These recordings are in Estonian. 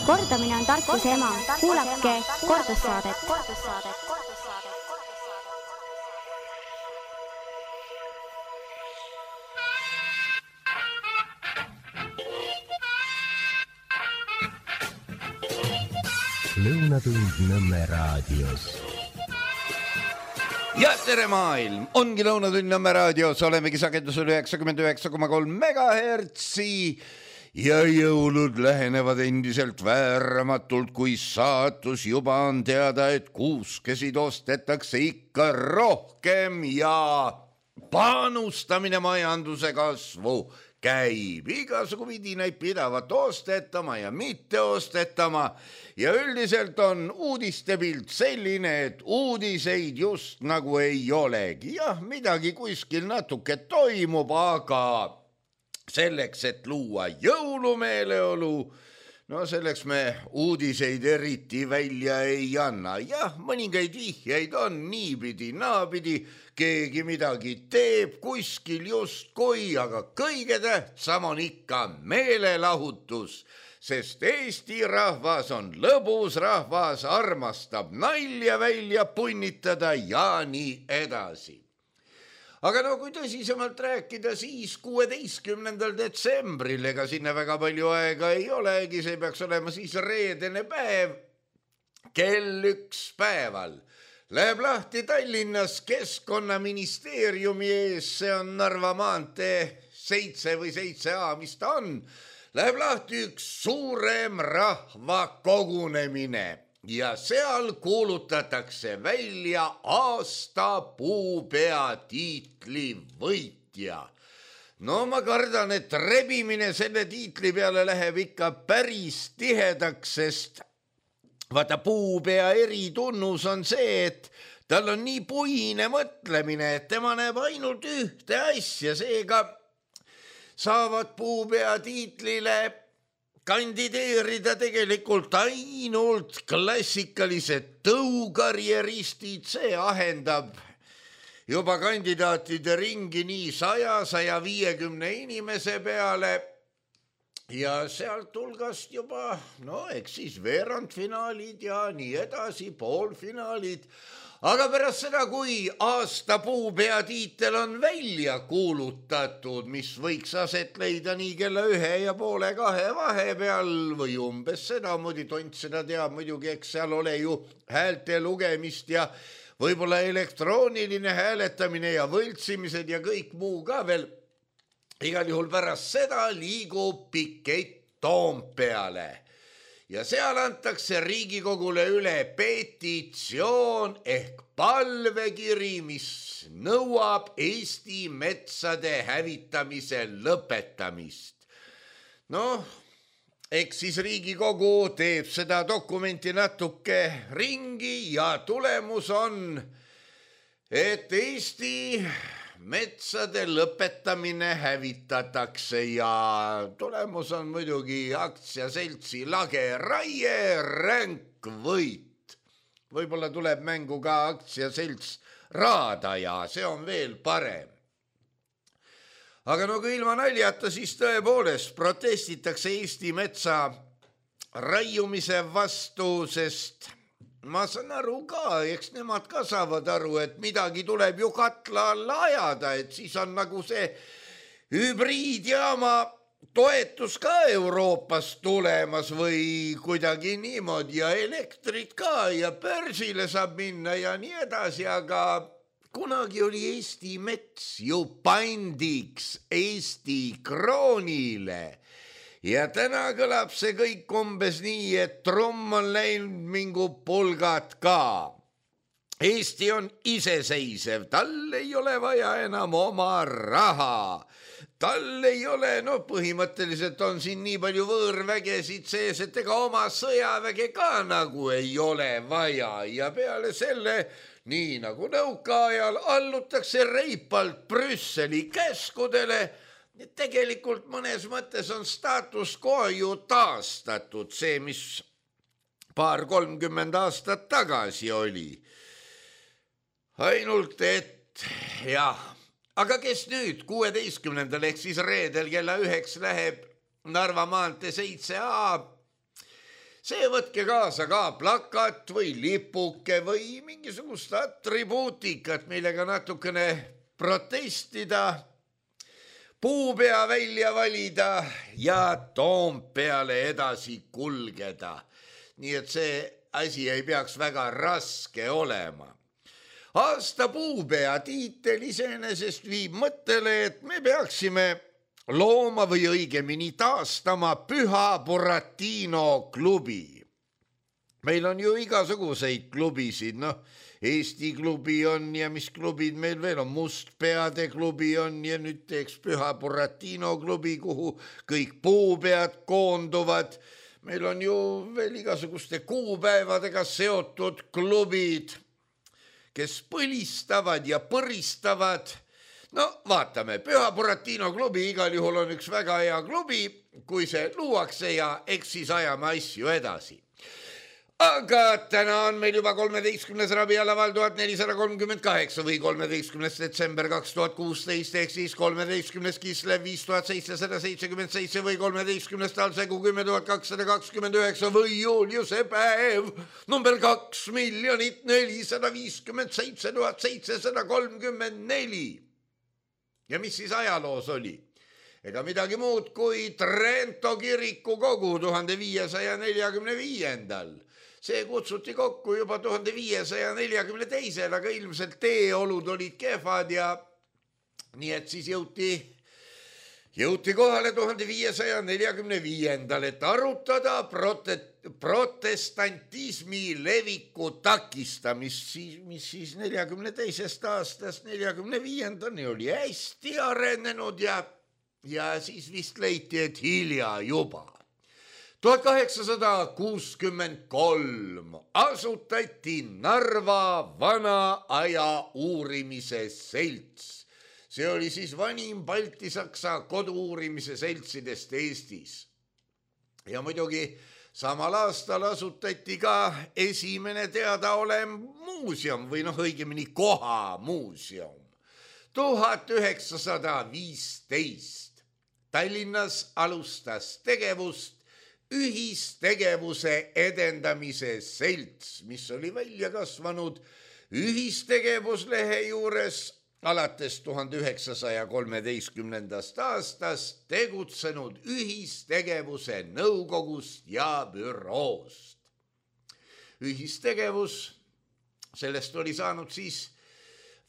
Kordamine on tarkuse ema. Kuulake kordussaadet. Lõunatund Nõmme raadios. Ja tere maailm! Ongi Lõunatund Nõmme raadios, olemegi sagedusel 99,3 megahertsi ja jõulud lähenevad endiselt vääramatult, kui saatus juba on teada, et kuuskesid ostetakse ikka rohkem ja panustamine majanduse kasvu käib. Igasugu vidinaid pidavat ostetama ja mitte ostetama ja üldiselt on uudistepilt selline, et uudiseid just nagu ei olegi. Jah, midagi kuskil natuke toimub, aga selleks, et luua jõulumeeleolu, no selleks me uudiseid eriti välja ei anna. Jah, mõningaid vihjeid on niipidi, naapidi, keegi midagi teeb kuskil justkui, aga kõige tähtsam on ikka meelelahutus, sest Eesti rahvas on lõbus rahvas, armastab nalja välja punnitada ja nii edasi. Aga no kui tõsisemalt rääkida, siis 16. detsembril, ega sinna väga palju aega ei olegi, see peaks olema siis reedene päev, kell 1 päeval. Läheb lahti Tallinnas Keskkonnaministeeriumi ees, see on Narva maantee 7 või 7A, mis ta on. Läheb lahti üks suurem rahvakogunemine. Ja seal kuulutatakse välja aasta puupea tiitli võitja. No ma kardan, et rebimine selle tiitli peale läheb ikka päris tihedaks, sest vaata puupea eritunnus on see, et tal on nii puine mõtlemine, et tema näeb ainult ühte asja, seega saavad puupea tiitlile kandideerida tegelikult ainult klassikalised tõukarjeristid, see ahendab juba kandidaatide ringi nii 100-150 inimese peale ja sealt hulgast juba, no eks siis veerandfinaalid ja nii edasi, poolfinaalid. Aga pärast seda, kui aasta puupea tiitel on välja kuulutatud, mis võiks aset leida nii kella 1:30 vahepeal või umbes sedamoodi, tont seda teab muidugi, eks seal ole ju häälte lugemist ja võib-olla elektrooniline hääletamine ja võltsimised ja kõik muu ka veel. Igal juhul pärast seda liigub pikett Toompeale. Ja seal antakse Riigikogule üle petitsioon ehk palvekiri, mis nõuab Eesti metsade hävitamise lõpetamist. Noh, eks siis Riigikogu teeb seda dokumenti natuke ringi ja tulemus on, et Eesti metsade lõpetamine hävitatakse ja tulemus on muidugi aktsiaseltsi Lage Raie ränk võit. Võib-olla tuleb mängu ka aktsiaselts Raadaja, see on veel parem. Aga no kui ilma naljata, siis tõepoolest protestitakse Eesti metsa raiumise vastu, sest ma saan aru ka, eks nemad ka saavad aru, et midagi tuleb ju katla alla ajada, et siis on nagu see hübriidjaama toetus ka Euroopas tulemas või kuidagi niimoodi ja elektrit ka ja börsile saab minna ja nii edasi, aga kunagi oli Eesti mets ju pandiks Eesti kroonile. Ja täna kõlab see kõik umbes nii, et trumm on läinud mingu pulgad ka. Eesti on iseseisev, tal ei ole vaja enam oma raha. Tal ei ole, no põhimõtteliselt on siin nii palju võõrvägesid sees, et ega oma sõjaväge ka nagu ei ole vaja. Ja peale selle, nii nagu nõukaajal, allutakse reipalt Brüsseli käskudele. Tegelikult mõnes mõttes on status quo ju taastatud, see, mis 30 aastat tagasi oli. Ainult et, jah, aga kes nüüd 16. ehk siis reedel kella 9 läheb Narva maantee 7A see võtke kaasa ka plakat või lipuke või mingisugust atribuutikat, millega natukene protestida, puupea välja valida ja Toompeale edasi kulgeda. Nii et see asi ei peaks väga raske olema. Aasta puupea tiitel iseenesest viib mõttele, et me peaksime looma või õigemini taastama Püha Buratino klubi. Meil on ju igasuguseid klubisid, Eesti klubi on ja mis klubid meil veel on, Mustpeade klubi on ja nüüd teeks Püha Buratino klubi, kuhu kõik puupead koonduvad. Meil on ju veel igasuguste kuupäevadega seotud klubid, kes põlistavad ja põristavad. No vaatame, Püha Buratino klubi igal juhul on üks väga hea klubi, kui see luuakse ja eks siis ajame asju edasi. Aga täna on meil juba 13. rabialaval 1438 või 13. detsember 2016 ehk siis 13. Kislev 5777 või 13. talsegu 10.229 või Juliuse päev number 2,457,734. Ja mis siis ajaloos oli? Ega midagi muud kui Trento kiriku kogu 1545. See kutsuti kokku juba 1542, aga ilmselt teeolud olid kehvad ja nii et siis jõuti kohale 1545, et arutada protestantismi leviku takistamist, mis siis 42. aastast 45. oli hästi arenenud ja siis vist leiti, et hilja juba. 1863 asutati Narva vana aja uurimise selts. See oli siis vanim Balti-Saksa kodu-uurimise seltsidest Eestis. Ja muidugi samal aastal asutati ka esimene teadaolev muuseum või õigemini kohamuuseum. 1915 Tallinnas alustas tegevust ühistegevuse edendamise selts, mis oli välja kasvanud ühistegevuslehe juures alates 1913. aastast tegutsenud ühistegevuse nõukogust ja büroost. Ühistegevus, sellest oli saanud siis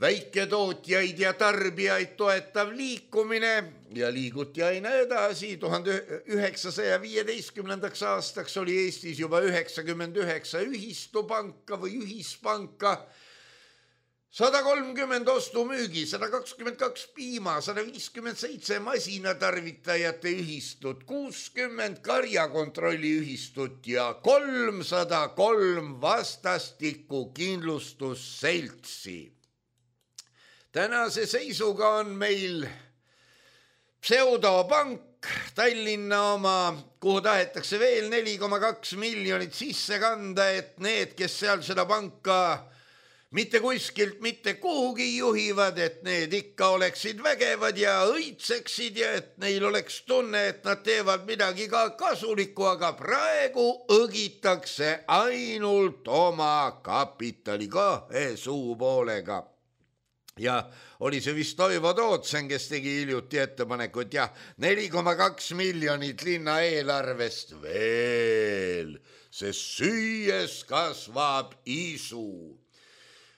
väiketootjaid ja tarbijaid toetav liikumine ja liiguti aina edasi. 1915. aastaks oli Eestis juba 99 ühistupanka või ühispanka, 130 ostumüügi, 122 piima, 157 masinatarvitajate ühistut, 60 karjakontrolli ühistut ja 303 vastastikku kindlustusseltsi. Tänase seisuga on meil pseudopank, Tallinna oma, kuhu tahetakse veel 4,2 miljonit sisse kanda, et need, kes seal seda panka mitte kuskilt mitte kuhugi juhivad, et need ikka oleksid vägevad ja õitseksid ja et neil oleks tunne, et nad teevad midagi ka kasulikku, aga praegu õgitakse ainult oma kapitali kahe suupoolega. Ja oli see vist Toivo Tootsen, kes tegi hiljuti ettepaneku, et jah, 4,2 miljonit linna eelarvest veel, sest süües kasvab isu.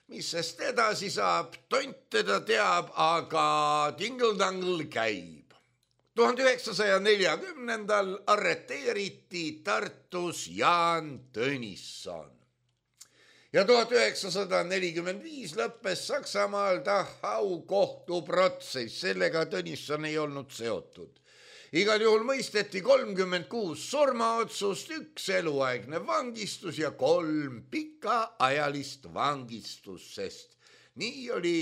Mis sest edasi saab, tont teda teab, aga tingle-tangle käib. 1940. arreteeriti Tartus Jaan Tõnisson. Ja 1945 lõppes Saksamaal Dachau kohtuprotsess, sellega Tõnisson ei olnud seotud. Igal juhul mõisteti 36 surmaotsust, 1 eluaegne vangistus ja 3 pikaajalist vangistust, sest nii oli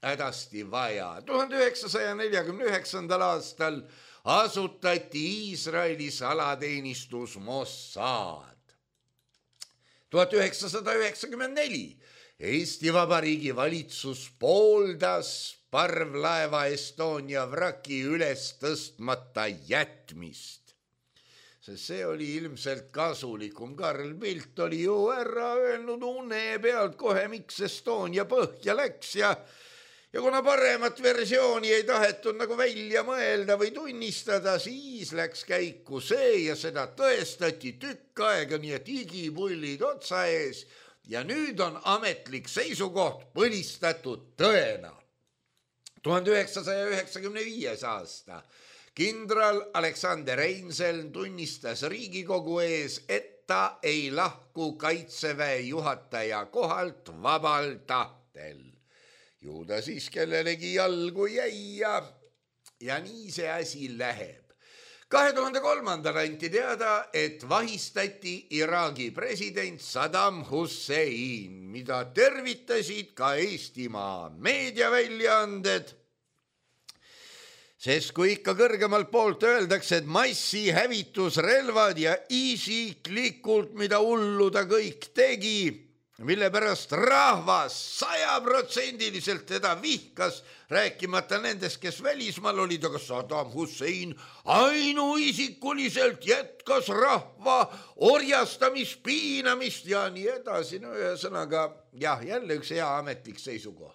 hädasti vaja. 1949. aastal asutati Iisraeli salateenistus Mossad. 1994 Eesti Vabariigi valitsus pooldas parvlaeva Estonia vraki üles tõstmata jätmist. sest see oli ilmselt kasulikum. Karl Pilt oli ju ära öelnud une pealt kohe, miks Estonia põhja läks ja kuna paremat versiooni ei tahetud nagu välja mõelda või tunnistada, siis läks käiku see ja seda tõestati tükk aega, nii et igipullid otsa ees ja nüüd on ametlik seisukoht põlistatud tõena. 1995. aasta kindral Aleksander Reinselm tunnistas Riigikogu ees, et ta ei lahku Kaitseväe juhataja kohalt vabal tahtel. Ju ta siis kellelegi jalgu jäi ja nii see asi läheb. 2003. anti teada, et vahistati Iraagi president Saddam Hussein, mida tervitasid ka Eestimaa meediaväljaanded. Sest kui ikka kõrgemalt poolt öeldakse, et massihävitusrelvad ja isiklikult, mida hullu ta kõik tegi, mille pärast rahvas 100% teda vihkas, rääkimata nendest, kes välismaal olid, aga Saddam Hussein ainuisikuliselt jätkas rahva orjastamist, piinamist ja nii edasi. No ühesõnaga, jah, jälle üks hea ametlik seisukoht.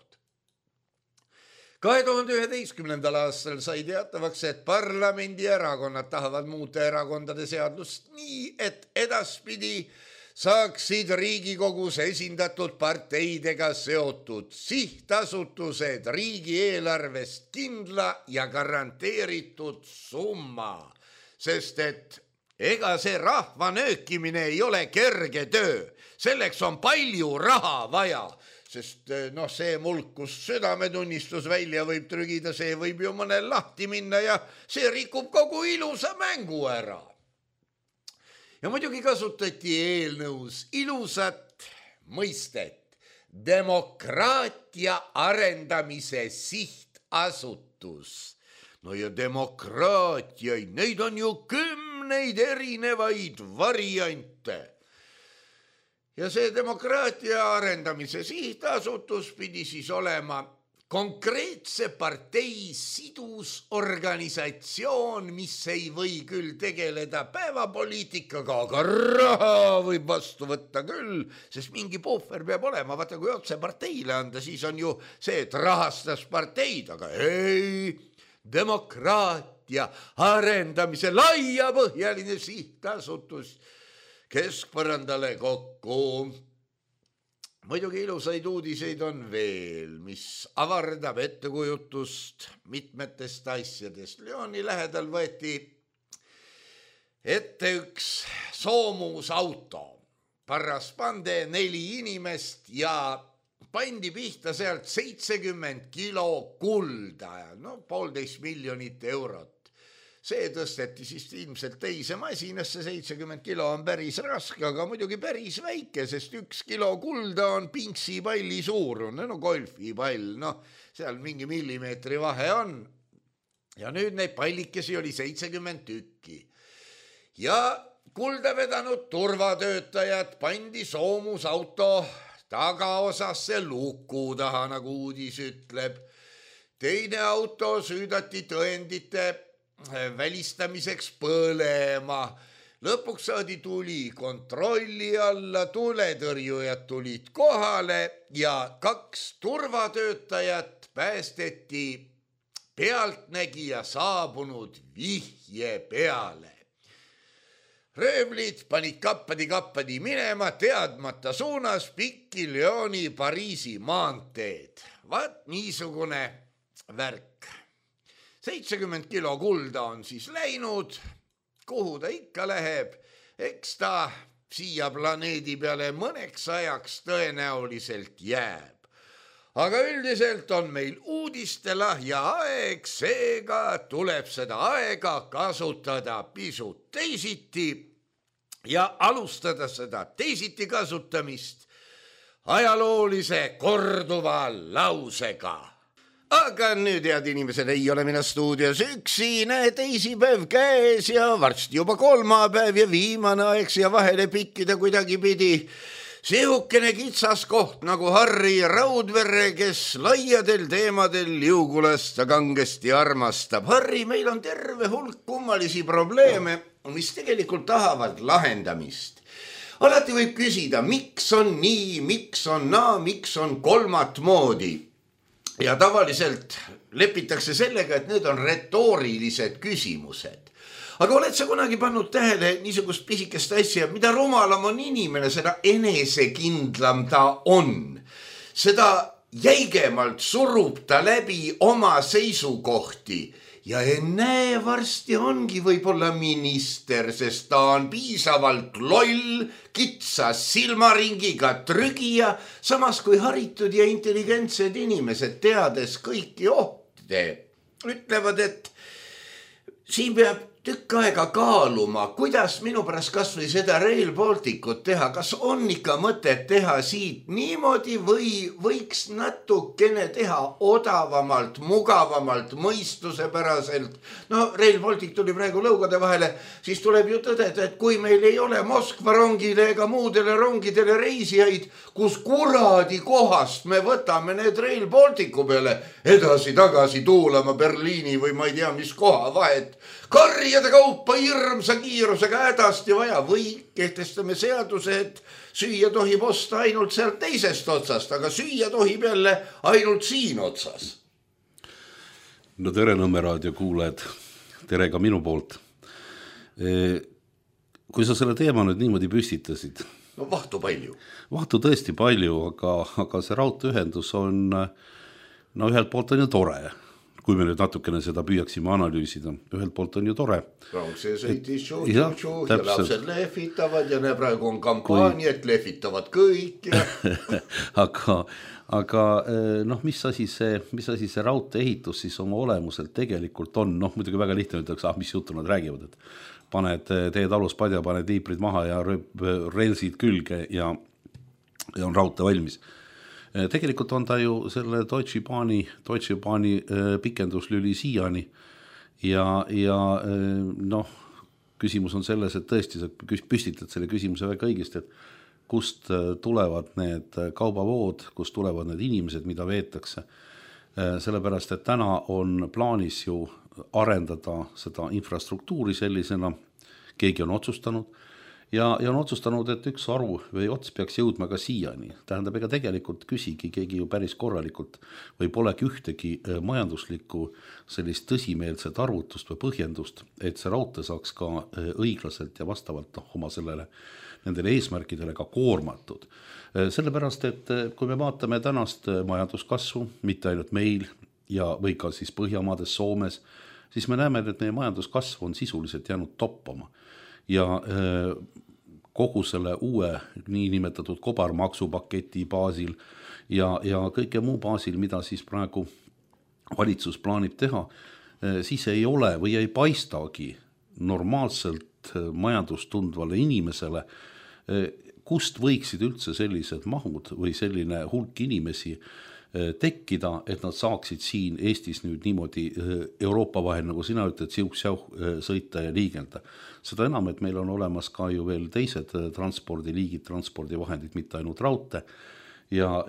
2011. aastal sai teatavaks, et parlamendierakonnad tahavad muuta erakondade seadust nii, et edaspidi saaksid Riigikogus esindatud parteidega seotud sihtasutused riigieelarvest kindla ja garanteeritud summa, sest et ega see rahva nöökimine ei ole kerge töö, selleks on palju raha vaja, sest see mulk, kus südametunnistus välja võib trügida, see võib ju mõnel lahti minna ja see rikub kogu ilusa mängu ära. Ja muidugi kasutati eelnõus ilusat mõistet demokraatia arendamise sihtasutus. No ja demokraatiaid, neid on ju 10 erinevaid variante. Ja see demokraatia arendamise sihtasutus pidi siis olema konkreetse partei sidusorganisatsioon, mis ei või küll tegeleda päevapoliitikaga, aga raha võib vastu võtta küll, sest mingi puhver peab olema. Vaata, kui otse parteile anda, siis on ju see, et rahastas parteid, aga ei, demokraatia arendamise laiapõhjaline sihtasutus keskpõrandale kokku. Muidugi ilusaid uudiseid on veel, mis avardab ettekujutust mitmetest asjadest. Lyoni lähedal võeti ette üks soomusauto. Parras pande 4 inimest ja pandi pihta sealt 70 kilo kulda, 1,5 miljonit eurot. See tõsteti siis ilmselt teise masinasse, 70 kilo on päris raske, aga muidugi päris väike, sest 1 kilo kulda on pinksipalli suurune, golfipall, seal mingi millimeetri vahe on. Ja nüüd neid pallikesi oli 70 tükki. Ja kulda vedanud turvatöötajad pandi soomusauto tagaosasse luku taha, nagu uudis ütleb. Teine auto süüdati tõendite välistamiseks põlema. Lõpuks saadi tuli kontrolli alla, tuletõrjujad tulid kohale ja 2 turvatöötajat päästeti pealtnägija saabunud vihje peale. Röövlid panid kappadi minema teadmata suunas pikki Lyoni Pariisi maanteed. Vaat niisugune värk. 70 kilo kulda on siis läinud, kuhu ta ikka läheb, eks ta siia planeedi peale mõneks ajaks tõenäoliselt jääb. Aga üldiselt on meil uudistelahja aeg, seega tuleb seda aega kasutada pisut teisiti ja alustada seda teisiti kasutamist ajaloolise korduva lausega. Aga nüüd, head inimesed, ei ole mina stuudios üksi, teisipäev käes ja varsti juba kolmapäev ja viimane aeg siia vahele pikkida kuidagi pidi. Sihukene kitsas koht nagu Harri Raudverre, kes laiadel teemadel liugulast kangesti armastab. Harri, meil on terve hulk kummalisi probleeme, mis tegelikult tahavad lahendamist. Alati võib küsida, miks on nii, miks on naa, miks on kolmat moodi. Ja tavaliselt lepitakse sellega, et need on retoorilised küsimused. Aga oled sa kunagi pannud tähele niisugust pisikest asja, mida rumalam on inimene, seda enesekindlam ta on. Seda jäigemalt surub ta läbi oma seisukohti. Ja ennäe, varsti ongi võib-olla minister, sest ta on piisavalt loll, kitsas silmaringiga trügija, samas kui haritud ja intelligentsed inimesed teades kõiki ohte ütlevad, et siin peab tükk aega kaaluma, kuidas minu pärast kas või seda Rail Balticut teha, kas on ikka mõtet teha siit niimoodi või võiks natukene teha odavamalt, mugavamalt, mõistusepäraselt. No Rail Baltic tuli praegu lõugade vahele, siis tuleb ju tõdeda, et kui meil ei ole Moskva rongile ega muudele rongidele reisijaid, kus kuradi kohast me võtame need Rail Balticu peale edasi-tagasi tuulama Berliini või ma ei tea, mis koha vahet. Karjade kaupa hirmsa kiirusega hädasti vaja või kehtestame seaduse, et süüa tohib osta ainult sealt teisest otsast, aga süüa tohib jälle ainult siin otsas. No tere Nõmme raadio kuulajad, tere ka minu poolt. Kui sa selle teema nüüd niimoodi püstitasid? No vahtu palju. Vahtu tõesti palju, aga see raudteeühendus on, no ühelt poolt on ju tore. Kui me nüüd natukene seda püüaksime analüüsida, ühelt poolt on ju tore. See sõitis ja lapsed lehvitavad ja praegu on kampaania, et lehvitavad kõik. Ja... aga noh, mis asi see raudtee ehitus siis oma olemuselt tegelikult on? Noh, muidugi väga lihtne ütleks, mis juttu nad räägivad, et paned teed aluspadja, paned liiprid maha ja relsid külge ja on raudtee valmis. Tegelikult on ta ju selle Deutsche Bahni pikenduslüli siiani ja noh, küsimus on selles, et tõesti sa püstitad selle küsimuse väga õigesti, et kust tulevad need kaubavood, kust tulevad need inimesed, mida veetakse. Sellepärast, et täna on plaanis ju arendada seda infrastruktuuri sellisena, keegi on otsustanud, ja on otsustanud, et üks aru või ots peaks jõudma ka siiani. Tähendab, ega tegelikult küsigi keegi ju päris korralikult või polegi ühtegi majanduslikku sellist tõsimeelset arvutust või põhjendust, et see raudtee saaks ka õiglaselt ja vastavalt oma nendele eesmärkidele ka koormatud. Sellepärast, et kui me vaatame tänast majanduskasvu, mitte ainult meil või ka siis Põhjamaades, Soomes, siis me näeme, et meie majanduskasv on sisuliselt jäänud toppama. Ja kogu selle uue niinimetatud kobarmaksupaketi baasil ja kõike muu baasil, mida siis praegu valitsus plaanib teha, siis ei ole või ei paistagi normaalselt majandustundvale inimesele, kust võiksid üldse sellised mahud või selline hulk inimesi tekkida, et nad saaksid siin Eestis nüüd niimoodi Euroopa vahel, nagu sina ütled, sõita ja liigelda. Seda enam, et meil on olemas ka ju veel teised transpordiliigid, transpordivahendid, mitte ainult raudtee ja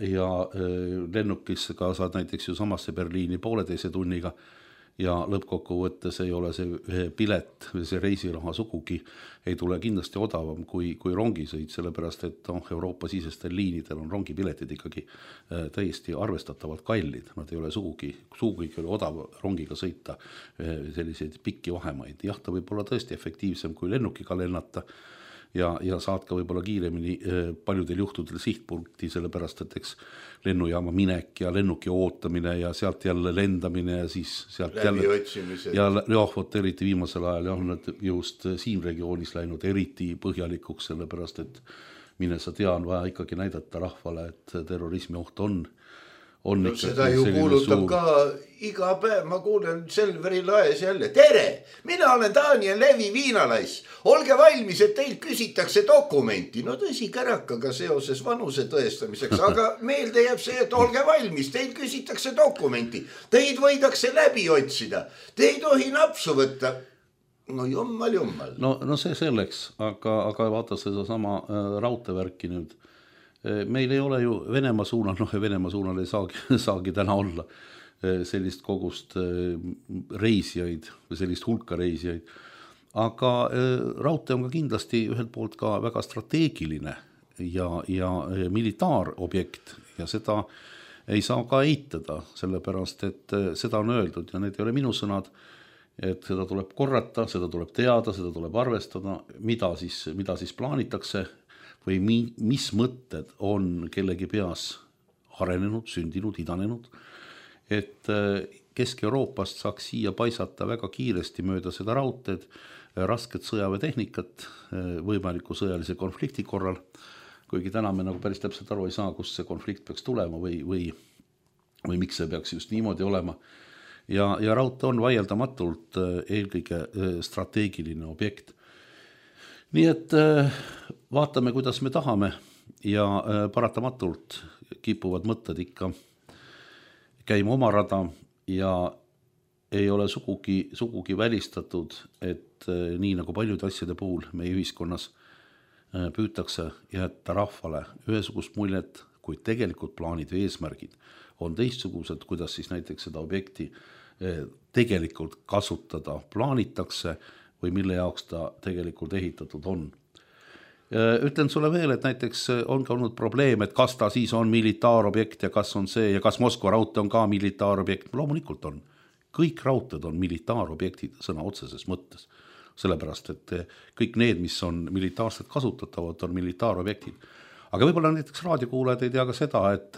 lennukisse ka saad näiteks ju samasse Berliini 1,5 tunniga ja lõppkokkuvõttes ei ole see pilet või see reisiraha sugugi ei tule kindlasti odavam kui rongisõit, sellepärast et Euroopa sisestel liinidel on rongipiletid ikkagi täiesti arvestatavalt kallid. Nad ei ole sugugi odav rongiga sõita selliseid pikki vahemaid. Jah, ta võib olla tõesti efektiivsem kui lennukiga lennata ja saad ka võib-olla kiiremini paljudel juhtudel sihtpunkti, sellepärast et eks lennujaama minek ja lennuki ootamine ja sealt jälle lendamine ja siis sealt eriti viimasel ajal on nad just siin regioonis läinud eriti põhjalikuks, sellepärast et mine sa tea, on vaja ikkagi näidata rahvale, et terrorismi oht on No, seda ju kuulutab ka iga päev, ma kuulen Selveri laes jälle. Tere, mina olen Daniel Levi Viinalais. Olge valmis, et teilt küsitakse dokumenti. No tõsi kärakaga seoses vanuse tõestamiseks, aga meelde jääb see, et olge valmis, teilt küsitakse dokumenti. Teid võidakse läbi otsida. Te ei tohi napsu võtta. No jummal. No see selleks, aga vaata seda sama raudtevärki nüüd. meil ei ole ju Venemaa suunal, Venemaa suunal ei saagi täna olla sellist kogust reisijaid või sellist hulka reisijaid, aga raudtee on ka kindlasti ühelt poolt ka väga strateegiline ja militaarobjekt ja seda ei saa ka eitada, sellepärast et seda on öeldud ja need ei ole minu sõnad, et seda tuleb korrata, seda tuleb teada, seda tuleb arvestada, mida siis plaanitakse või mis mõtted on kellegi peas arenenud, sündinud, idanenud, et Kesk-Euroopast saaks siia paisata väga kiiresti mööda seda raudteed, rasket sõjaväetehnikat võimaliku sõjalise konflikti korral, kuigi täna me nagu päris täpselt aru ei saa, kust see konflikt peaks tulema või miks see peaks just niimoodi olema. Ja raudtee on vaieldamatult eelkõige strateegiline objekt. Nii et vaatame, kuidas me tahame ja paratamatult kipuvad mõtted ikka käima oma rada ja ei ole sugugi välistatud, et nii nagu paljude asjade puhul meie ühiskonnas püütakse jätta rahvale ühesugust muljet, kuid tegelikult plaanid ja eesmärgid on teistsugused, kuidas siis näiteks seda objekti tegelikult kasutada plaanitakse või mille jaoks ta tegelikult ehitatud on. Ütlen sulle veel, et näiteks on ka olnud probleem, et kas ta siis on militaarobjekt ja kas on see ja kas Moskva raudtee on ka militaarobjekt. Loomulikult on. Kõik raudteed on militaarobjektid sõna otseses mõttes. Sellepärast, et kõik need, mis on militaarselt kasutatavad, on militaarobjektid. Aga võib-olla näiteks raadiokuulajad ei tea ka seda, et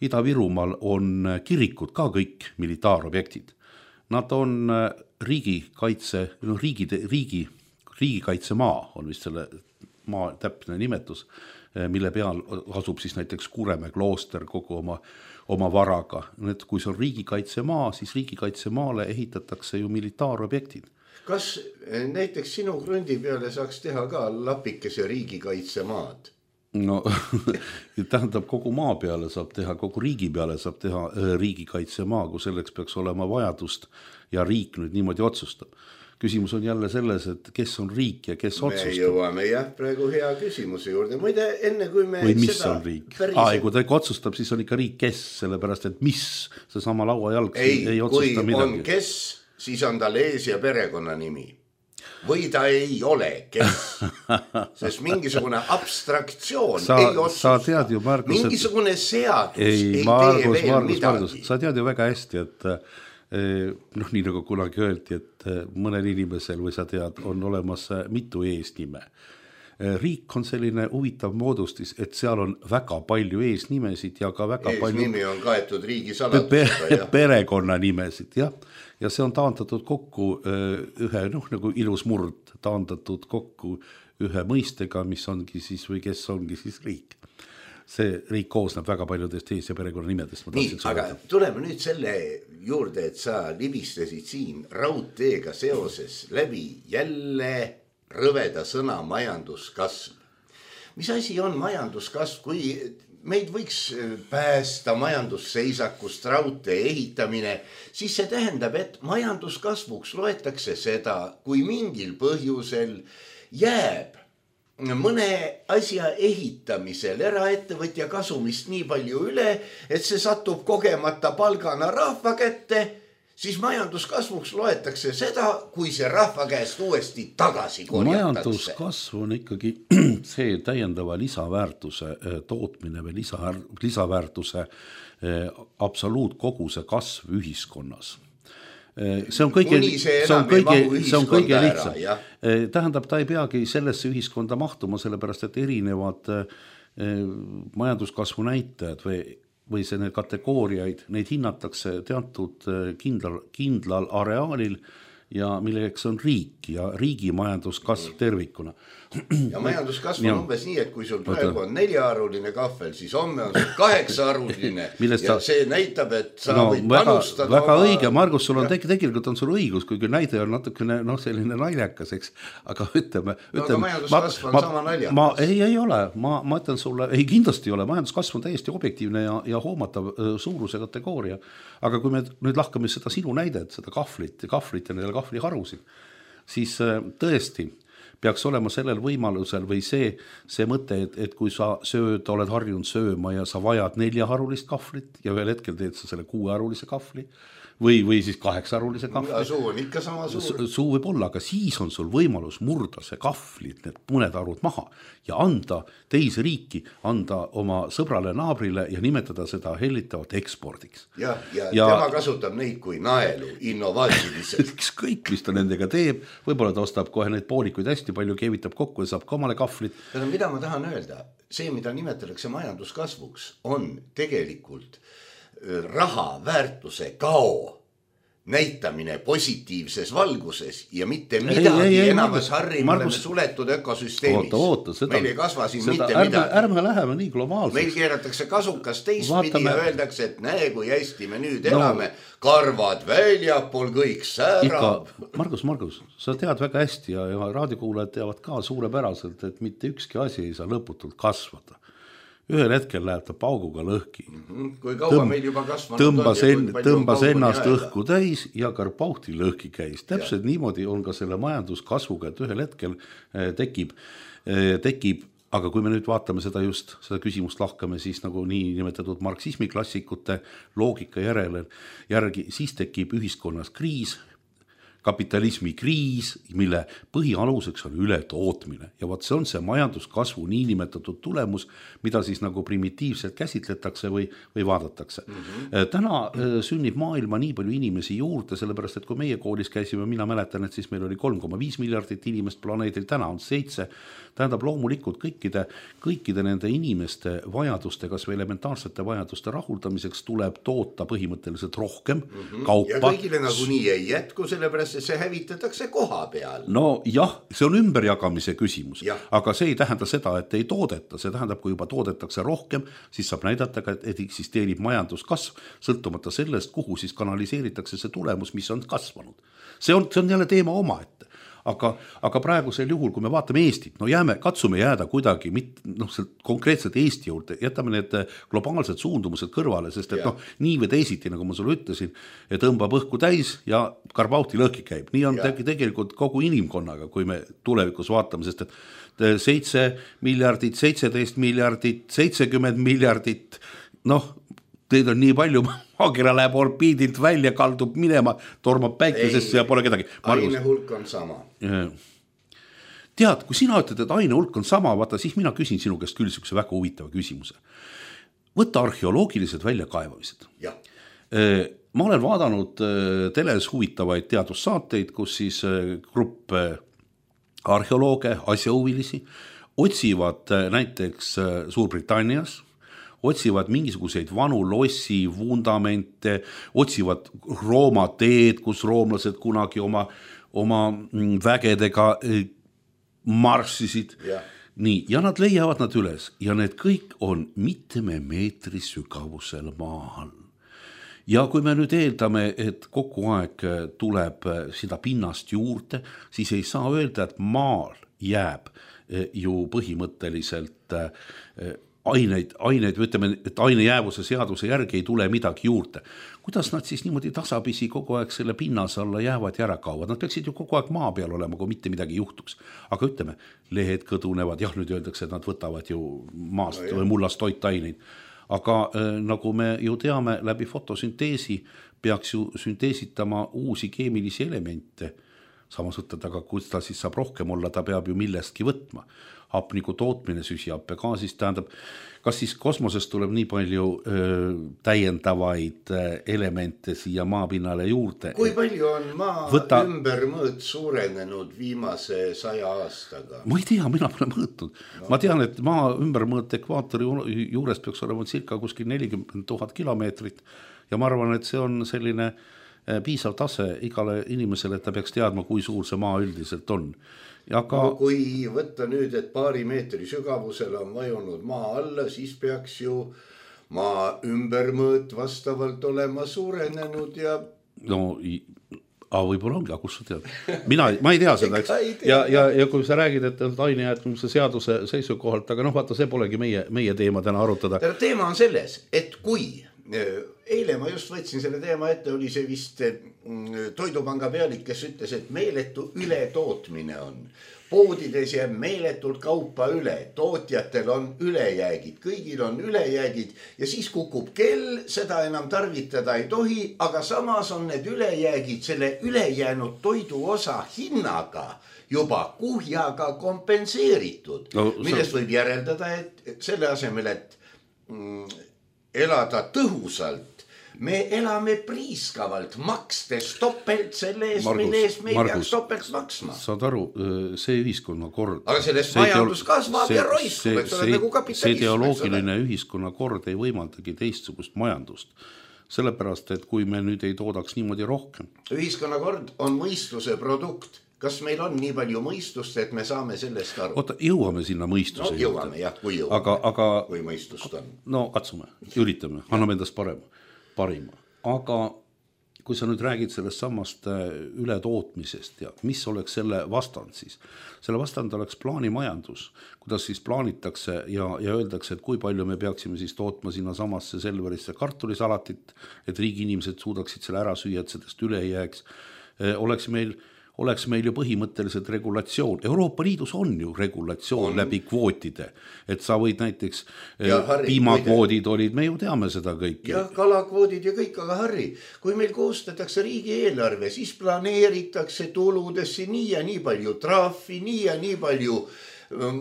Ida-Virumaal on kirikud ka kõik militaarobjektid. Nad on riigikaitsemaa on vist selle maa täpne nimetus, mille peal asub siis näiteks Kuremäe klooster kogu oma varaga. Et kui see on riigikaitsemaa, siis riigikaitsemaale ehitatakse ju militaarobjektid. Kas näiteks sinu krundi peale saaks teha ka lapikese riigikaitsemaad? No tähendab, kogu maa peale saab teha, kogu riigi peale saab teha riigikaitsemaa, kui selleks peaks olema vajadust ja riik nüüd niimoodi otsustab. Küsimus on jälle selles, et kes on riik ja kes otsustab. Me jõuame praegu hea küsimuse juurde. Muide, enne kui me või mis on riik? Kui ta otsustab, siis on ikka riik kes, sellepärast, et mis see sama lauajalg ei otsusta midagi. Kui on kes, siis on tal ees ja perekonna nimi. Või ta ei ole kes, sest mingisugune abstraktsioon ei otsusta. Sa tead ju, Margus, mingisugune seadus ei tee veel midagi. Sa tead ju väga hästi, et nii nagu kunagi öeldi, et mõnel inimesel või sa tead, on olemas mitu eesnime. Riik on selline huvitav moodustis, et seal on väga palju eesnimesid ja ka väga eesnimi on kaetud riigi saladusega. Perekonna nimesid, jah. Ja see on taandatud kokku ühe, nagu ilus murd, taandatud kokku ühe mõistega, mis ongi siis või kes ongi siis riik. See riik koosneb väga paljudest ees- ja perekonna nimedest. Nii, aga tuleme nüüd selle juurde, et sa libistesid siin raudteega seoses läbi jälle rõveda sõna majanduskasv. Mis asi on majanduskasv, kui meid võiks päästa majandusseisakust raudtee ehitamine, siis see tähendab, et majanduskasvuks loetakse seda, kui mingil põhjusel jääb mõne asja ehitamisel eraettevõtja kasumist nii palju üle, et see satub kogemata palgana rahva kätte, siis majanduskasvuks loetakse seda, kui see rahva käest uuesti tagasi korjatakse. Majanduskasv on ikkagi see täiendava lisaväärtuse tootmine või lisaväärtuse absoluutkoguse kasv ühiskonnas. See on kõige lihtsam. Tähendab, ta ei peagi sellesse ühiskonda mahtuma, sellepärast, et erinevad majanduskasvu näitajad või see need kategooriaid, neid hinnatakse teatud kindlal areaalil ja milleks on riik ja riigi majanduskasv tervikuna. Ja majanduskasv on umbes nii, et kui sul praegu on 4-aruline kahvel, siis homme on sul 8-aruline ja see näitab, et sa võid panustada. Väga õige, Margus, sul on tegelikult on sul õigus, kuigi näide on natukene selline naljakas, eks, aga ütleme. Aga majanduskasv on sama naljakas. Ei ole, ma ütlen sulle, ei kindlasti ei ole, majanduskasv on täiesti objektiivne ja hoomatav suuruse kategooria, aga kui me nüüd lahkame seda sinu näidet, seda kahvlit ja nendele kahvliharusid, siis tõesti, peaks olema sellel võimalusel või see mõte, et kui sa oled harjunud sööma ja sa vajad 4-harulist kahvlit ja ühel hetkel teed sa selle 6-harulise kahvli või siis 8-harulise kahvli. Suu on ikka sama suur. Suu võib olla, aga siis on sul võimalus murda see kahvlit, need mõned harud maha ja anda teise riiki, anda oma sõbrale naabrile ja nimetada seda hellitavat ekspordiks. Ja tema kasutab neid kui naelu innovaatiliselt. Ükskõik, mis ta nendega teeb, võib-olla ta ostab kohe neid poolikuid hästi palju, keevitab kokku ja saab ka omale kahvlit. Mida ma tahan öelda? See, mida nimetatakse majanduskasvuks, on tegelikult raha väärtuse kao näitamine positiivses valguses ja mitte midagi enamas harrimule suletud ökosüsteemis. Meil ei kasva siin mitte midagi. Ärme läheme nii globaalseks. Meil keeratakse kasukas teistpidi ja öeldakse, et näe, kui hästi me nüüd elame, karvad väljapool, kõik säärab. Margus, sa tead väga hästi ja raadiokuulajad teavad ka suurepäraselt, et mitte ükski asi ei saa lõputult kasvada. Ühel hetkel läheb ta pauguga lõhki. Kui kaua meil juba kasvanud tõmbas ennast õhku täis ja Karpauhti lõhki käis. Täpselt niimoodi on ka selle majanduskasvuga, et ühel hetkel tekib, aga kui me nüüd vaatame seda küsimust lahkame, siis nagu nii nimetatud marksismi klassikute loogika järgi, siis tekib ühiskonnas kriis, kapitalismi kriis, mille põhialuseks on ületootmine. Ja vaat see on see majanduskasvu niinimetatud tulemus, mida siis nagu primitiivselt käsitletakse või vaadatakse. Täna sünnib maailma nii palju inimesi juurde, sellepärast, et kui meie koolis käisime, mina mäletan, et siis meil oli 3,5 miljardit inimest planeedil, täna on 7. Tähendab loomulikult kõikide nende inimeste vajaduste, kas või elementaarsete vajaduste rahuldamiseks tuleb toota põhimõtteliselt rohkem kaupa. Ja kõigile nagu nii ei jätku, sellepärast see hävitatakse koha peal. No jah, see on ümberjagamise küsimus, aga see ei tähenda seda, et ei toodeta, see tähendab, kui juba toodetakse rohkem, siis saab näidata, et eksisteerib majanduskasv, sõltumata sellest, kuhu siis kanaliseeritakse see tulemus, mis on kasvanud. See on jälle teema omaette. Aga praegusel juhul, kui me vaatame Eestit, katsume jääda kuidagi konkreetselt Eesti juurde, jätame need globaalsed suundumused kõrvale, sest et nii või teisiti, nagu ma sulle ütlesin, tõmbab õhku täis ja Karpauhti lõhki käib. Nii on tegelikult kogu inimkonnaga, kui me tulevikus vaatame, sest et 7 miljardit, 17 miljardit, 70 miljardit, teid on nii palju, maakera läheb orbiidilt välja, kaldub minema, tormab päikesesse ja pole kedagi. Aine hulk on sama. Tead, kui sina ütled, et aine hulk on sama, vaata, siis mina küsin sinu käest küll sükse väga huvitava küsimuse. Võtta arheoloogilised väljakaevamised. Ma olen vaadanud teles huvitavaid teadussaateid, kus siis grupp arheolooge, asjahuvilisi, otsivad näiteks Suurbritannias, otsivad mingisuguseid vanu lossi, vundamente, otsivad Rooma teed, kus roomlased kunagi oma vägedega marssisid. Nii, ja nad leiavad nad üles ja need kõik on mitme meetri sügavusel maa all. Ja kui me nüüd eeldame, et kogu aeg tuleb seda pinnast juurde, siis ei saa öelda, et maal jääb ju põhimõtteliselt aineid, ütleme, et ainejäävuse seaduse järgi ei tule midagi juurde. Kuidas nad siis niimoodi tasapisi kogu aeg selle pinnas alla jäävad ja ära kaovad? Nad peaksid ju kogu aeg maa peal olema, kui mitte midagi juhtuks. Aga ütleme, lehed kõdunevad, nüüd öeldakse, et nad võtavad ju maast või mullast toitaineid. Aga nagu me ju teame, läbi fotosünteesi peaks ju sünteesitama uusi keemilisi elemente. Samas võtad, aga kus ta siis saab rohkem olla, ta peab ju millestki võtma. Hapniku tootmine süsihappegaasist tähendab, kas siis kosmosest tuleb nii palju täiendavaid elemente siia maapinnale juurde? Kui palju on maa ümbermõõt suurenenud viimase 100 aastaga? Ma ei tea, mina pole mõõtnud. Ma tean, et maa ümbermõõt ekvaatori juures peaks olema circa kuskil 40 000 kilomeetrit ja ma arvan, et see on selline piisav tase igale inimesele, et ta peaks teadma, kui suur see maa üldiselt on. Kui võtta nüüd, et paari meetri sügavusel on vajunud maa alla, siis peaks ju maa ümbermõõt vastavalt olema suurenenud ja... võib-olla ongi, aga kus sa tead? Ma ei tea seda, eks? Ja kui sa räägid, et ainejäätmise seaduse seisukohalt, aga vaata, see polegi meie teema täna arutada. Teema on selles, et kui Eile ma just võtsin selle teema ette, oli see vist Toidupanga pealik, kes ütles, et meeletu ületootmine on. Poodides jääb meeletult kaupa üle, tootjatel on ülejäägid, kõigil on ülejäägid ja siis kukub kell, seda enam tarvitada ei tohi, aga samas on need ülejäägid selle ülejäänud toidu osa hinnaga juba kuhjaga kompenseeritud, millest võib järeldada, et selle asemel, et elada tõhusalt, me elame priiskavalt, makstes topelt selle eest, mille eest me ei peaks topelt maksma. Saad aru, see ühiskonnakord. Aga sellest majandus kasvab ja roiskub, et see nagu kapitalism. See ideoloogiline ühiskonnakord ei võimaldagi teistsugust majandust. Sellepärast, et kui me nüüd ei toodaks niimoodi rohkem. Ühiskonnakord on mõistuse produkt. Kas meil on nii palju mõistust, et me saame sellest aru? Oota, jõuame sinna mõistuse. No jõuame, jah, kui jõuame. Kui mõistust on. No katsume, üritame, anname endast parima. Aga kui sa nüüd räägid sellest samast ületootmisest ja mis oleks selle vastand siis? Selle vastand oleks plaanimajandus, kuidas siis plaanitakse ja öeldakse, et kui palju me peaksime siis tootma sinna samasse Selverisse kartulisalatit, et riigi inimesed suudaksid selle ära süüa, et sellest üle ei jääks. Oleks meil ju põhimõtteliselt regulatsioon. Euroopa Liidus on ju regulatsioon läbi kvootide, et sa võid näiteks piimakvoodid olid, me ju teame seda kõiki. Ja kalakvoodid ja kõik, aga Harri, kui meil koostatakse riigi eelarve, siis planeeritakse tuludesse nii ja nii palju trahvi, nii ja nii palju,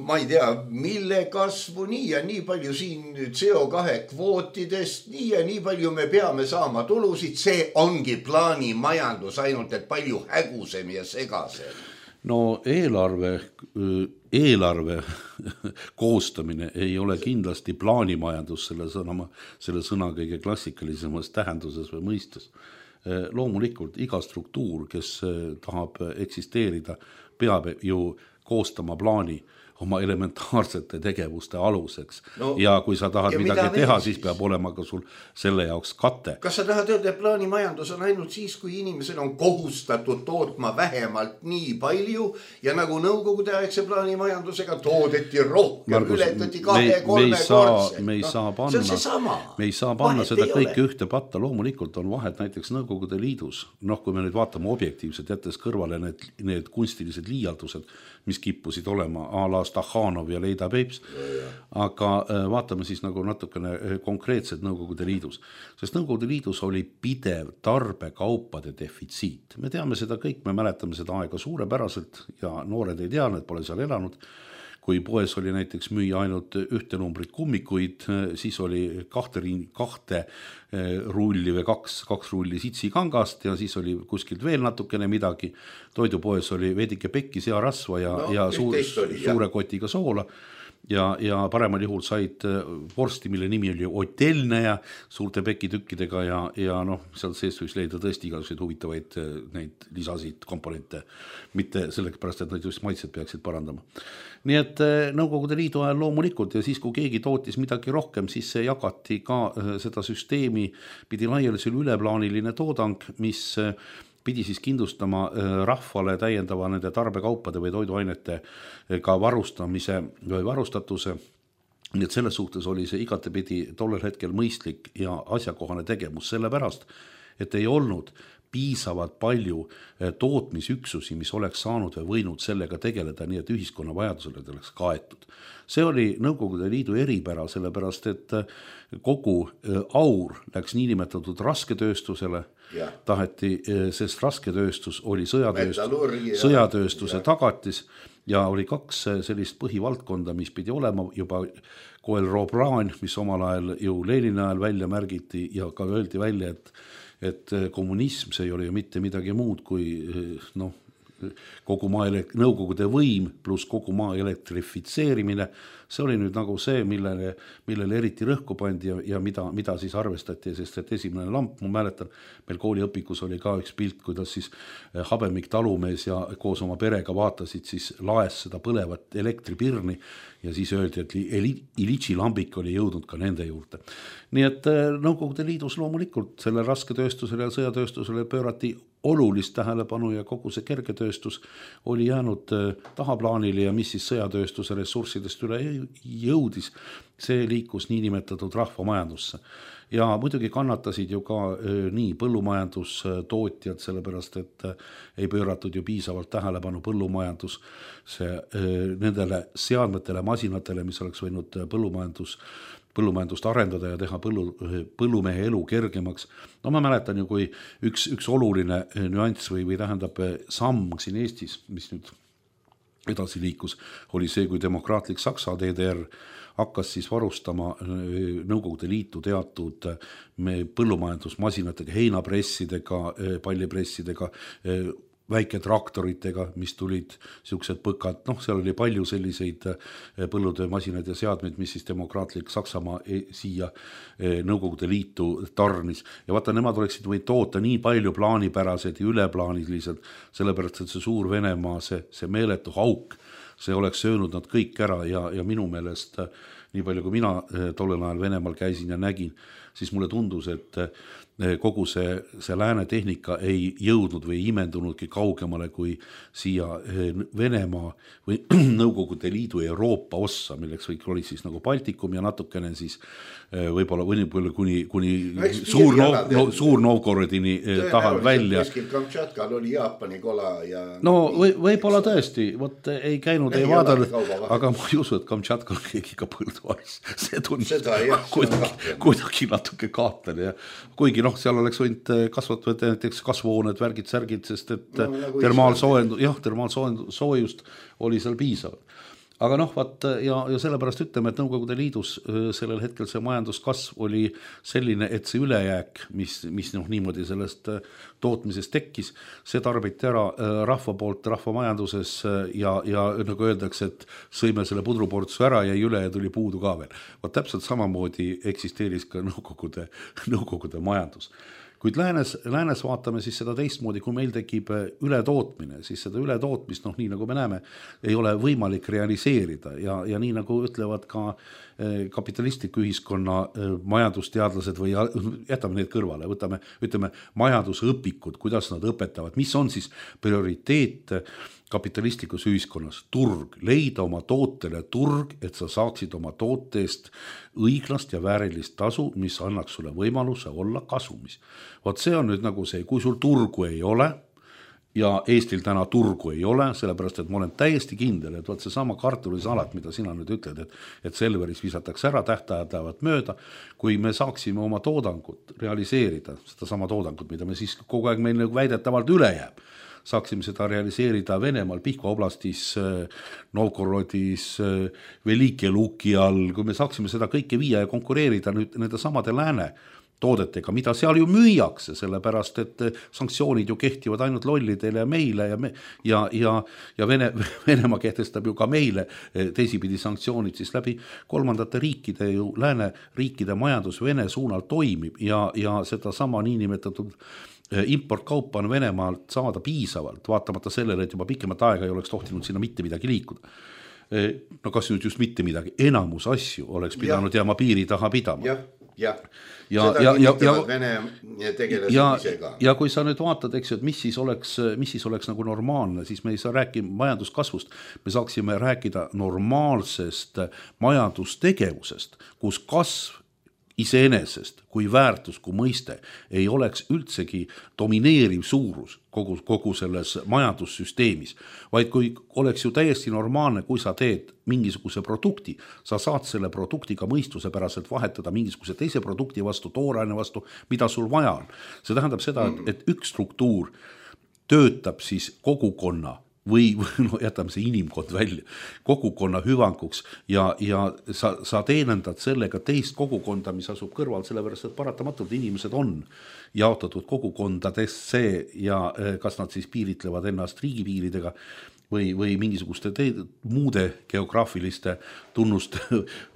ma ei tea, mille kasvu, nii ja nii palju siin CO2 kvootidest, nii ja nii palju me peame saama tulusid, see ongi plaanimajandus, ainult et palju hägusem ja segasem. No eelarve koostamine ei ole kindlasti plaanimajandus selle sõna kõige klassikalisemas tähenduses või mõistes. Loomulikult iga struktuur, kes tahab eksisteerida, peab ju koostama plaani oma elementaarsete tegevuste aluseks. Ja kui sa tahad midagi teha, siis peab olema ka sul selle jaoks kate. Kas sa tahad öelda, et plaanimajandus on ainult siis, kui inimesel on kohustatud tootma vähemalt nii palju ja nagu nõukogude aegse plaanimajandusega toodeti rohkem, Margus, ületati 2-3 kordsed. Me ei saa panna seda kõike ühte patta. Loomulikult on vahet näiteks Nõukogude Liidus. Kui me nüüd vaatame objektiivselt, jättes kõrvale need kunstilised liialdused, mis kippusid olema a la Stakhanov ja Leida Peips, aga vaatame siis nagu natukene konkreetselt Nõukogude Liidus. Sest Nõukogude Liidus oli pidev tarbekaupade defitsiit. Me teame seda kõik, me mäletame seda aega suurepäraselt ja noored ei tea, need pole seal elanud. Kui poes oli näiteks müüa ainult ühte numbrit kummikuid, siis oli 2 rulli või 2 rulli sitsikangast ja siis oli kuskilt veel natukene midagi. Toidupoes oli veidike pekki searasva ja suure kotiga soola. Ja paremal juhul said vorsti, mille nimi oli Otelne ja suurte pekitükkidega ja sealt seest võiks leida tõesti igasuguseid huvitavaid neid lisasid komponente, mitte sellepärast, et nad just maitset peaksid parandama. Nii et Nõukogude Liidu ajal loomulikult ja siis, kui keegi tootis midagi rohkem, siis see jagati ka seda süsteemi, pidi laialisel üleplaaniline toodang, mis pidi siis kindlustama rahvale täiendava nende tarbekaupade või toiduainete ka varustamise või varustatuse. Nii et selles suhtes oli see igatepidi tollel hetkel mõistlik ja asjakohane tegevus sellepärast, et ei olnud piisavalt palju tootmisüksusi, mis oleks saanud või võinud sellega tegeleda, nii et ühiskonna vajadusele oleks kaetud. See oli Nõukogude Liidu eripära, sellepärast et kogu aur läks niinimetatud rasketööstusele, taheti, sest rasketööstus oli sõjatööstuse tagatis ja oli 2 sellist põhivaldkonda, mis pidi olema juba Coelho-Bran, mis omal ajal ju Lenini ajal välja märgiti ja ka öeldi välja, et kommunism see ei ole ju mitte midagi muud kui kogu maa nõukogude võim pluss kogu maa elektrifitseerimine. See oli nüüd nagu see, millele eriti rõhku pandi ja mida siis arvestati, sest et esimene lamp, ma mäletan, meil kooliõpikus oli ka üks pilt, kuidas siis Habemik talumees ja koos oma perega vaatasid siis laes seda põlevat elektripirni ja siis öeldi, et Ilitši lambik oli jõudnud ka nende juurde. Nii et Nõukogude Liidus loomulikult selle rasketööstusele ja sõjatööstusele pöörati olulist tähelepanu ja kogu see kergetööstus oli jäänud tahaplaanile ja mis siis sõjatööstuse ressurssidest üle jõudis, see liikus niinimetatud rahvamajandusse. ja muidugi kannatasid ju ka nii põllumajandustootjad, sellepärast et ei pööratud ju piisavalt tähelepanu nendele seadmetele, masinatele, mis oleks võinud põllumajandust arendada ja teha põllumehe elu kergemaks. No ma mäletan ju, kui üks oluline nüanss või tähendab samm siin Eestis, mis nüüd edasi liikus, oli see, kui demokraatlik Saksa DDR hakkas siis varustama Nõukogude Liitu teatud põllumajandusmasinatega, heinapressidega, pallipressidega, väiketraktoritega, mis tulid siuksed põkad, seal oli palju selliseid põllutöömasinaid ja seadmeid, mis siis demokraatlik Saksamaa siia Nõukogude Liitu tarnis. Ja vaata, nemad oleksid võid toota nii palju plaanipärased ja üleplaaniliselt, sellepärast, et see suur Venemaa, see meeletu hauk, see oleks söönud nad kõik ära ja minu meelest, nii palju kui mina tollel ajal Venemaal käisin ja nägin, siis mulle tundus, et kogu see lääne tehnika ei jõudnud või imendunudki kaugemale kui siia Venemaa või Nõukogude Liidu Euroopa ossa, milleks oli siis nagu Baltikum ja natukene siis võib-olla kuni suur Novgorodini tahal välja. Kuskil Kamtšatkal oli Jaapani kola ja... No võib-olla tõesti, võt ei käinud, ei vaadanud, aga ma ei usu, et Kamtšatkal keegi ka põldu aris. See tundus kuidagi natuke kaatlen ja kuigi seal oleks võinud kasvatada näiteks kasvuhooned, värgid, särgid, sest et termaalsoojust oli seal piisav. Aga ja sellepärast ütleme, et Nõukogude Liidus sellel hetkel see majanduskasv oli selline, et see ülejääk, mis niimoodi sellest tootmisest tekkis, see tarbiti ära rahva poolt rahvamajanduses ja nagu öeldakse, et sõime selle pudruportsu ära ja üle ja tuli puudu ka veel. Täpselt samamoodi eksisteeris ka Nõukogude majandus. Kuid läänes vaatame siis seda teistmoodi, kui meil tekib ületootmine, siis seda ületootmist, nii nagu me näeme, ei ole võimalik realiseerida ja nii nagu ütlevad ka kapitalistliku ühiskonna majandusteadlased või jätame need kõrvale, ütleme majandusõpikud, kuidas nad õpetavad, mis on siis prioriteet kapitalistlikus ühiskonnas, turg, leida oma tootele turg, et sa saaksid oma tooteest õiglast ja väärilist tasu, mis annaks sulle võimaluse olla kasumis. See on nüüd nagu see, kui sul turgu ei ole ja Eestil täna turgu ei ole, sellepärast, et ma olen täiesti kindel, et see sama kartulisalat, mida sina nüüd ütled, et Selveris visatakse ära, tähtajad lähevad mööda, kui me saaksime oma toodangut realiseerida, seda sama toodangut, mida me siis kogu aeg meil väidetavalt üle jääb, saaksime seda realiseerida Venemaal, Pihkva oblastis, Novgorodis, Velike Luki all, kui me saaksime seda kõike viia ja konkureerida nüüd nende samade lääne toodetega, mida seal ju müüakse, sellepärast, et sanktsioonid ju kehtivad ainult lollidele ja meile ja Venemaa kehtestab ju ka meile teisipidi sanktsioonid siis läbi kolmandate riikide ju lääne riikide majandus Vene suunal toimib ja seda sama niinimetatud importkaupa on Venemaalt saada piisavalt, vaatamata sellele, et juba pikemat aega ei oleks tohtinud sinna mitte midagi liikuda. Kas nüüd just mitte midagi, enamus asju oleks pidanud jääma piiri taha pidama. Seda kinnitavad Vene tegelased ise ka. Ja kui sa nüüd vaatad, eks ju, et mis siis oleks nagu normaalne, siis me ei saa rääkida majanduskasvust, me saaksime rääkida normaalsest majandustegevusest, kus kasv iseenesest kui väärtus, kui mõiste ei oleks üldsegi domineeriv suurus kogu selles majandussüsteemis, vaid kui oleks ju täiesti normaalne, kui sa teed mingisuguse produkti, sa saad selle produktiga mõistuse päraselt vahetada mingisuguse teise produkti vastu, tooraine vastu, mida sul vaja on. See tähendab seda, et üks struktuur töötab siis kogukonna või jätame see inimkond välja, kogukonna hüvanguks ja sa teenendad sellega teist kogukonda, mis asub kõrval, sellepärast, et paratamatult inimesed on jaotatud kogukondadesse ja kas nad siis piiritlevad ennast riigipiiridega või mingisuguste muude geograafiliste tunnuste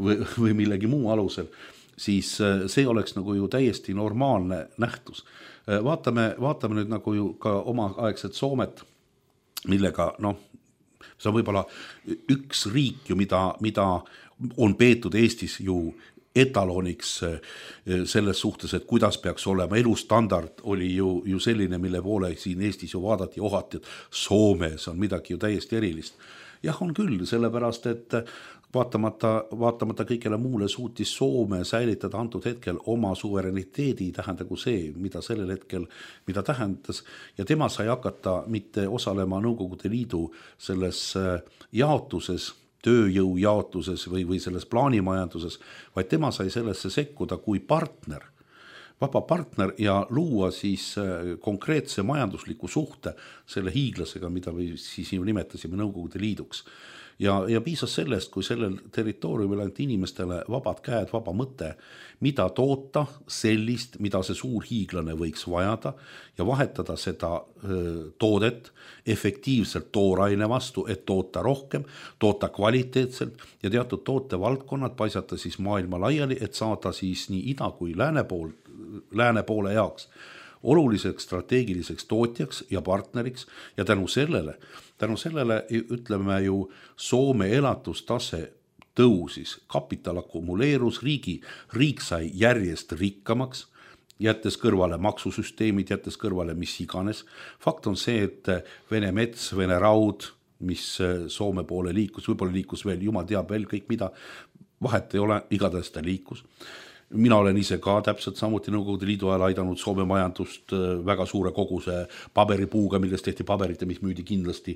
või millegi muu alusel, siis see oleks nagu ju täiesti normaalne nähtus. Vaatame nüüd nagu ju ka omaaegset Soomet, millega, see on võib-olla üks riik ju, mida on peetud Eestis ju etaloniks selles suhtes, et kuidas peaks olema elustandard, oli ju selline, mille poole siin Eestis ju vaadati ohati, et Soomes on midagi ju täiesti erilist. Jah, on küll, sellepärast, et vaatamata kõigele muule suutis Soome säilitada antud hetkel oma suvereniteedi, tähendagu see, mida sellel hetkel, mida tähendas, ja tema sai hakata mitte osalema Nõukogude Liidu selles jaotuses, tööjõu jaotuses või selles plaanimajanduses, vaid tema sai sellesse sekkuda kui partner, vaba partner ja luua siis konkreetse majandusliku suhte selle hiiglasega, mida me siis ju nimetasime Nõukogude Liiduks. Ja piisas sellest, kui sellel territooriumil ainult inimestele vabad käed, vaba mõte, mida toota sellist, mida see suur hiiglane võiks vajada ja vahetada seda toodet efektiivselt tooraine vastu, et toota rohkem, toota kvaliteetselt ja teatud tootevaldkonnad paisata siis maailma laiali, et saada siis nii ida kui lääne poole jaoks oluliseks strateegiliseks tootjaks ja partneriks ja tänu sellele ütleme ju Soome elatustase tõusis, kapital akumuleerus, riik sai järjest rikkamaks, jättes kõrvale maksusüsteemid, jättes kõrvale mis iganes. Fakt on see, et Vene mets, Vene raud, mis Soome poole liikus, võib-olla liikus veel, jumal teab veel kõik mida, vahet ei ole, igatahes ta liikus. Mina olen ise ka täpselt samuti Nõukogude Liidu ajal aidanud Soome majandust väga suure koguse paberipuuga, millest tehti paberit ja mis müüdi kindlasti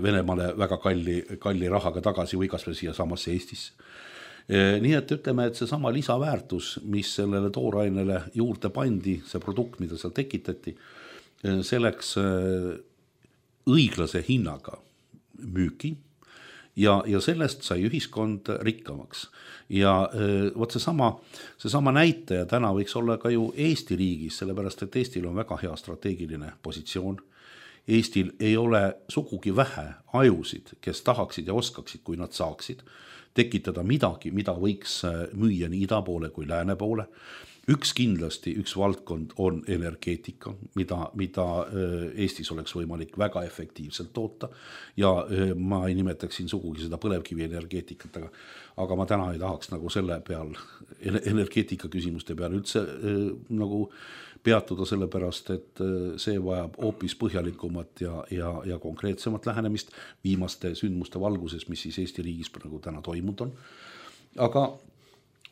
Venemaale väga kalli rahaga tagasi või kasvõi siia samasse Eestisse. Nii et ütleme, et see sama lisaväärtus, mis sellele toorainele juurde pandi, see produkt, mida seal tekitati, selleks õiglase hinnaga müüki ja sellest sai ühiskond rikkamaks. Ja võt seesama näitaja täna võiks olla ka ju Eesti riigis, sellepärast et Eestil on väga hea strateegiline positsioon. Eestil ei ole sugugi vähe ajusid, kes tahaksid ja oskaksid, kui nad saaksid tekitada midagi, mida võiks müüa nii ida poole kui lääne poole. Üks valdkond on energeetika, mida Eestis oleks võimalik väga efektiivselt toota ja ma ei nimetaksin sugugi seda põlevkivi energeetikat, aga ma täna ei tahaks nagu selle peal, energeetika küsimuste peal üldse nagu peatuda sellepärast, et see vajab hoopis põhjalikumat ja konkreetsemat lähenemist viimaste sündmuste valguses, mis siis Eesti riigis nagu täna toimunud on.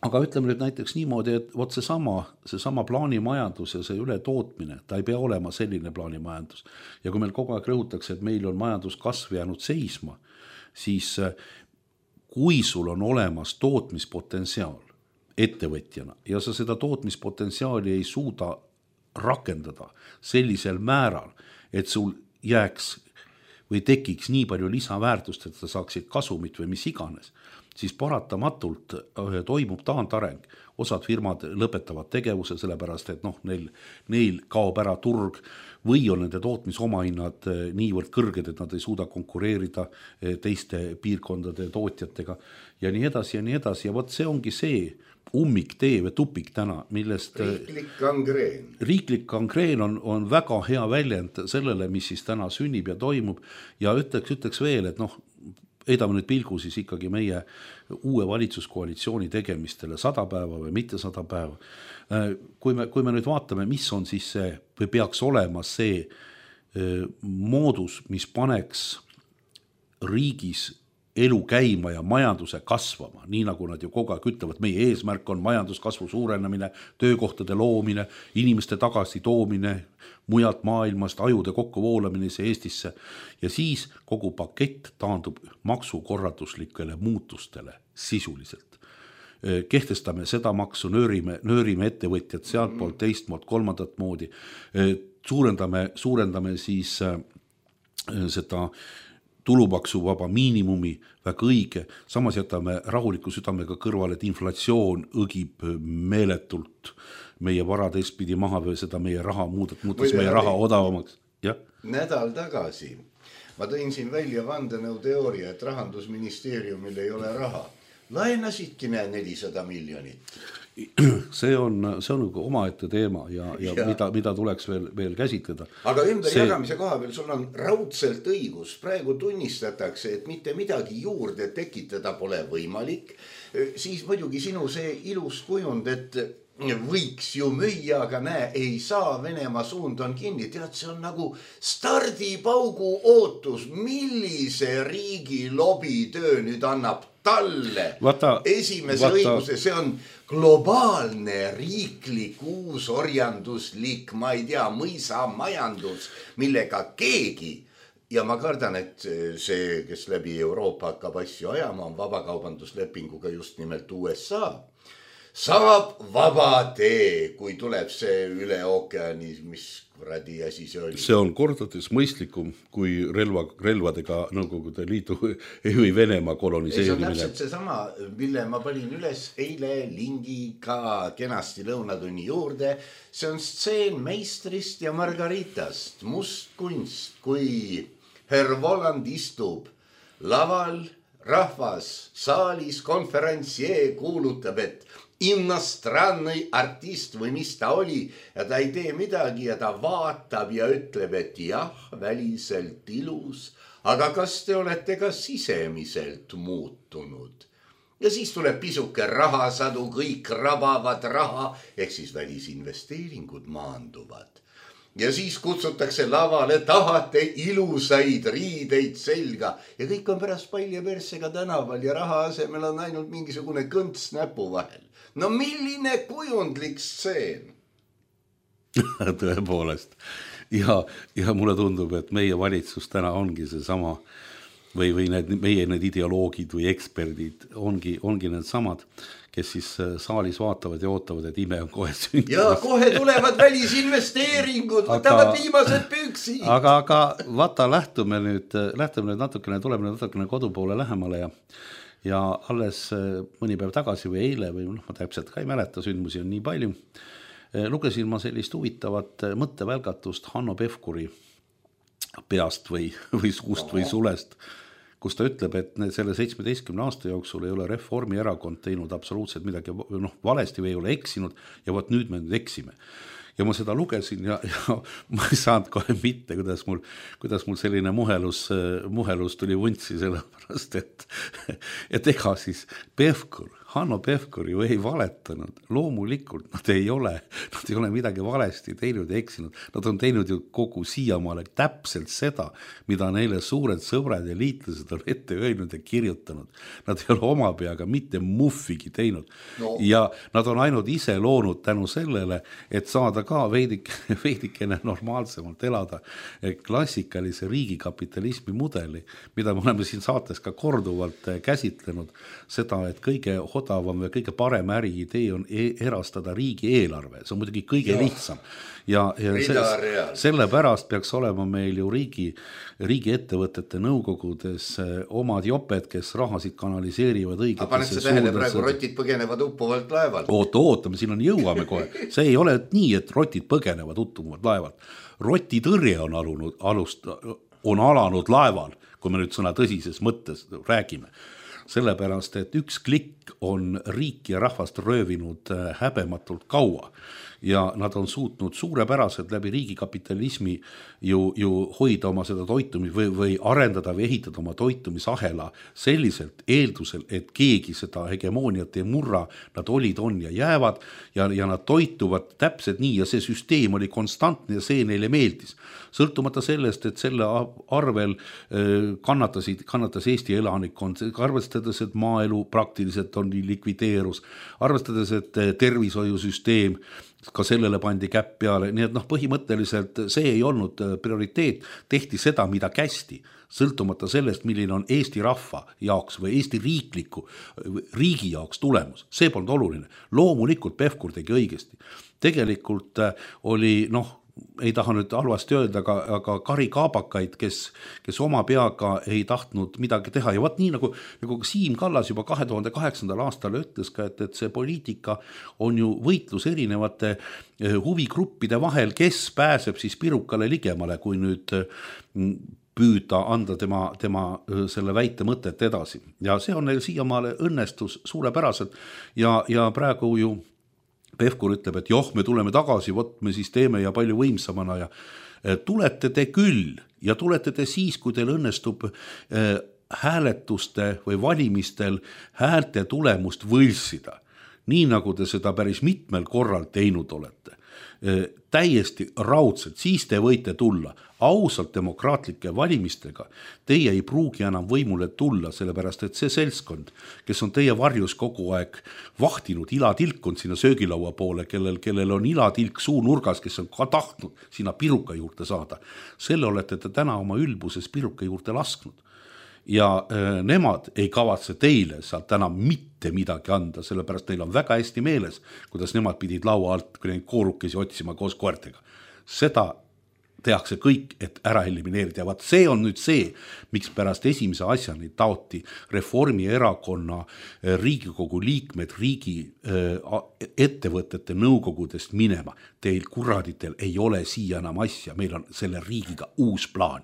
Aga ütleme nüüd näiteks niimoodi, et võt seesama plaanimajandus ja see ületootmine, ta ei pea olema selline plaanimajandus. Ja kui meil kogu aeg rõhutakse, et meil on majanduskasv jäänud seisma, siis kui sul on olemas tootmispotentsiaal ettevõtjana ja sa seda tootmispotentsiaali ei suuda rakendada sellisel määral, et sul jääks või tekiks nii palju lisaväärtust, et sa saaksid kasumit või mis iganes, siis paratamatult toimub taantareng. Osad firmad lõpetavad tegevuse sellepärast, et neil kaob ära turg või on nende tootmisomahinnad niivõrd kõrged, et nad ei suuda konkureerida teiste piirkondade tootjatega ja nii edasi. Ja võt see ongi see ummiktee või tupik täna, millest riiklik kangreen on väga hea väljend sellele, mis siis täna sünnib ja toimub ja ütleks veel, et heidame nüüd pilgu siis ikkagi meie uue valitsuskoalitsiooni tegemistele 100 päeva või mitte 100 päeva. Kui me nüüd vaatame, mis on siis see või peaks olema see moodus, mis paneks riigis elu käima ja majanduse kasvama, nii nagu nad ju kogu aeg ütlevad, meie eesmärk on majanduskasvu suurenemine, töökohtade loomine, inimeste tagasi toomine mujalt maailmast, ajude kokku voolamine Eestisse ja siis kogu pakett taandub maksukorralduslikele muutustele sisuliselt. Kehtestame seda maksu, nöörime ettevõtjad sealt poolt, teist poolt, kolmandat moodi, suurendame siis seda tulumaksuvaba miinimumi, väga õige, samas jätame rahuliku südamega kõrvale, et inflatsioon õgib meeletult meie varad eespidi maha või seda meie raha muutus meie raha odavamaks. Ja? Nädal tagasi ma tõin siin välja vandenõuteooria, et Rahandusministeeriumil ei ole raha. laenasidki 400 miljonit. See on omaette teema ja. Mida tuleks veel käsitleda. Aga ümberjagamise koha peal sul on raudselt õigus. Praegu tunnistatakse, et mitte midagi juurde tekitada pole võimalik. Siis muidugi sinu see ilus kujund, et võiks ju müüa, aga näe, ei saa, Venemaa suund on kinni. Tead, see on nagu stardipaugu ootus, millise riigi lobitöö nüüd annab talle esimese õiguse. See on globaalne riiklik uusorjanduslik, ma ei tea, mõisamajandus, millega keegi, ja ma kardan, et see, kes läbi Euroopa hakkab asju ajama, on vabakaubanduslepinguga just nimelt USA, saab vaba tee, kui tuleb see üle ookeani, mis kuradi asi see oli. See on kordades mõistlikum kui relvadega Nõukogude Liidu või Venemaa koloniseerimine. See on täpselt see sama, mille ma panin üles eile lingiga kenasti lõunatunni juurde. See on stseen Meistrist ja Margaritast. Must kunst, kui Herr Voland istub laval, rahvas saalis, konferentsier kuulutab, et innostrannõi artist või mis ta oli ja ta ei tee midagi ja ta vaatab ja ütleb, et jah, väliselt ilus, aga kas te olete ka sisemiselt muutunud? Ja siis tuleb pisuke rahasadu, kõik rabavad raha, ehk siis välisinvesteeringud maanduvad. Ja siis kutsutakse lavale, tahate ilusaid riideid selga ja kõik on pärast palja persega tänaval ja raha asemel on ainult mingisugune kõnts näpu vahel. No milline kujundlik stseen? Tõepoolest. Ja mulle tundub, et meie valitsus täna ongi see sama või meie need ideoloogid või eksperdid ongi need samad, kes siis saalis vaatavad ja ootavad, et ime on kohe sündimas. Ja kohe tulevad välisinvesteeringud, võtavad viimased püksi. Aga vaata, lähtume nüüd natukene, tuleme natukene kodu poole lähemale ja alles mõni päev tagasi või eile või ma täpselt ka ei mäleta, sündmusi on nii palju, lugesin ma sellist huvitavat mõttevälgatust Hanno Pevkuri peast või suust või sulest, kus ta ütleb, et selle 17 aasta jooksul ei ole Reformierakond teinud absoluutselt midagi valesti või ei ole eksinud ja võt nüüd me nüüd eksime. Ja ma seda lugesin ja ma ei saanud kohe mitte, kuidas mul selline muhelus tuli vuntsi sellepärast, et ega siis Hanno Pevkur ju ei valetanud. Loomulikult nad ei ole midagi valesti teinud ja eksinud. Nad on teinud ju kogu siiamaale täpselt seda, mida neile suured sõbrad ja liitlased on ette öelnud ja kirjutanud. Nad ei ole oma peaga mitte muffigi teinud. No. Ja nad on ainult ise loonud tänu sellele, et saada ka veidikene normaalsemalt elada klassikalise riigikapitalismi mudeli, mida me oleme siin saates ka korduvalt käsitlenud, seda, et kõige odavam ja kõige parem äriidee on erastada riigieelarve. See on muidugi kõige lihtsam. Ja sellepärast peaks olema meil ju riigi ettevõtete nõukogudes omad joped, kes rahasid kanaliseerivad õigetesse paned see tähele, praegu rotid põgenevad uppuvalt laevalt. Ootame, siin on jõuame kohe. See ei ole nii, et rotid põgenevad uppuvalt laevalt. Rotitõrje on alanud laeval, kui me nüüd sõna tõsises mõttes räägime. Sellepärast, et üks klikk on riik ja rahvast röövinud häbematult kaua ja nad on suutnud suurepäraselt läbi riigikapitalismi ju hoida oma seda toitumist või arendada või ehitada oma toitumisahela selliselt eeldusel, et keegi seda hegemooniat ei murra, nad on ja jäävad ja nad toituvad täpselt nii ja see süsteem oli konstantne ja see neile meeldis. Sõltumata sellest, et selle arvel kannatas Eesti elanikkond, arvestades, et maaelu praktiliselt on likvideerus, arvestades, et tervishoiusüsteem ka sellele pandi käpp peale, nii et põhimõtteliselt see ei olnud prioriteet, tehti seda, mida kästi, sõltumata sellest, milline on Eesti rahva jaoks või Eesti riigi jaoks tulemus. See polnud oluline. Loomulikult Pevkur tegi õigesti. Tegelikult oli, ei taha nüüd halvasti öelda, aga Kari Kaabakaid, kes oma peaga ei tahtnud midagi teha ja nii nagu Siim Kallas juba 2008. aastal ütles ka, et see poliitika on ju võitlus erinevate huvigruppide vahel, kes pääseb siis pirukale ligemale, kui nüüd püüda anda tema selle väite mõtet edasi ja see on neil siiamaale õnnestus suurepäraselt ja praegu ju Pevkur ütleb, et joh, me tuleme tagasi, vot me siis teeme ja palju võimsamana ja tulete te küll ja tulete te siis, kui teil õnnestub hääletuste või valimistel häälte tulemust võlsida, nii nagu te seda päris mitmel korral teinud olete. Täiesti raudselt, siis te võite tulla ausalt demokraatlike valimistega, teie ei pruugi enam võimule tulla, sellepärast et see seltskond, kes on teie varjus kogu aeg vahtinud, ilatilkunud sinna söögilaua poole, kellel on ilatilk suu nurgas, kes on ka tahtnud sinna piruka juurde saada, selle olete te täna oma ülbuses piruka juurde lasknud. Ja nemad ei kavatse teile sealt täna mitte midagi anda, sellepärast neil on väga hästi meeles, kuidas nemad pidid laua alt koorukesi otsima koos koertega. Seda tehakse kõik, et ära elimineerida ja vaat see on nüüd see, miks pärast esimese asjani taoti Reformierakonna Riigikogu liikmed riigi ettevõtete nõukogudest minema. Teil kuraditel ei ole siia enam asja, meil on selle riigiga uus plaan.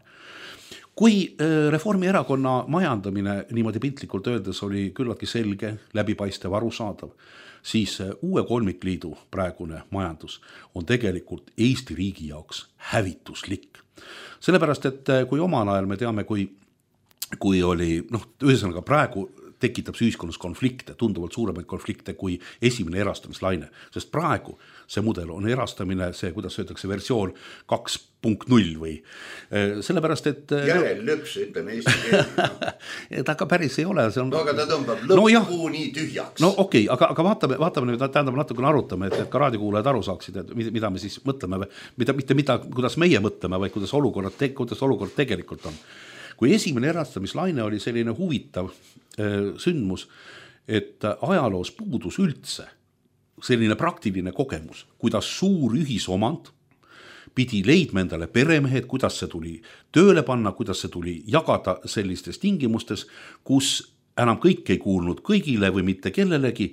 Kui Reformierakonna majandamine niimoodi piltlikult öeldes oli küllaltki selge, läbipaistev, arusaadav, siis uue kolmikliidu praegune majandus on tegelikult Eesti riigi jaoks hävituslik. Sellepärast, et kui omal ajal me teame, kui oli, ühesõnaga praegu tekitab see ühiskonnas konflikte, tunduvalt suuremaid konflikte kui esimene erastamislaine, sest praegu see mudel on erastamine, see, kuidas öeldakse, versioon 2.0 või sellepärast, et järellüps, ütleme eesti keeli. Ta ka päris ei ole. See on... No aga ta tõmbab lõppu nii tühjaks. No okei, aga vaatame nüüd, tähendab natukene arutame, et ka raadiokuulajad aru saaksid, et mida me siis mõtleme, kuidas meie mõtleme, vaid kuidas olukord tegelikult on. Kui esimene erastamislaine oli selline huvitav sündmus, et ajaloos puudus üldse selline praktiline kogemus, kuidas suur ühisomand pidi leidma endale peremehed, kuidas see tuli tööle panna, kuidas see tuli jagada sellistes tingimustes, kus enam kõik ei kuulnud kõigile või mitte kellelegi,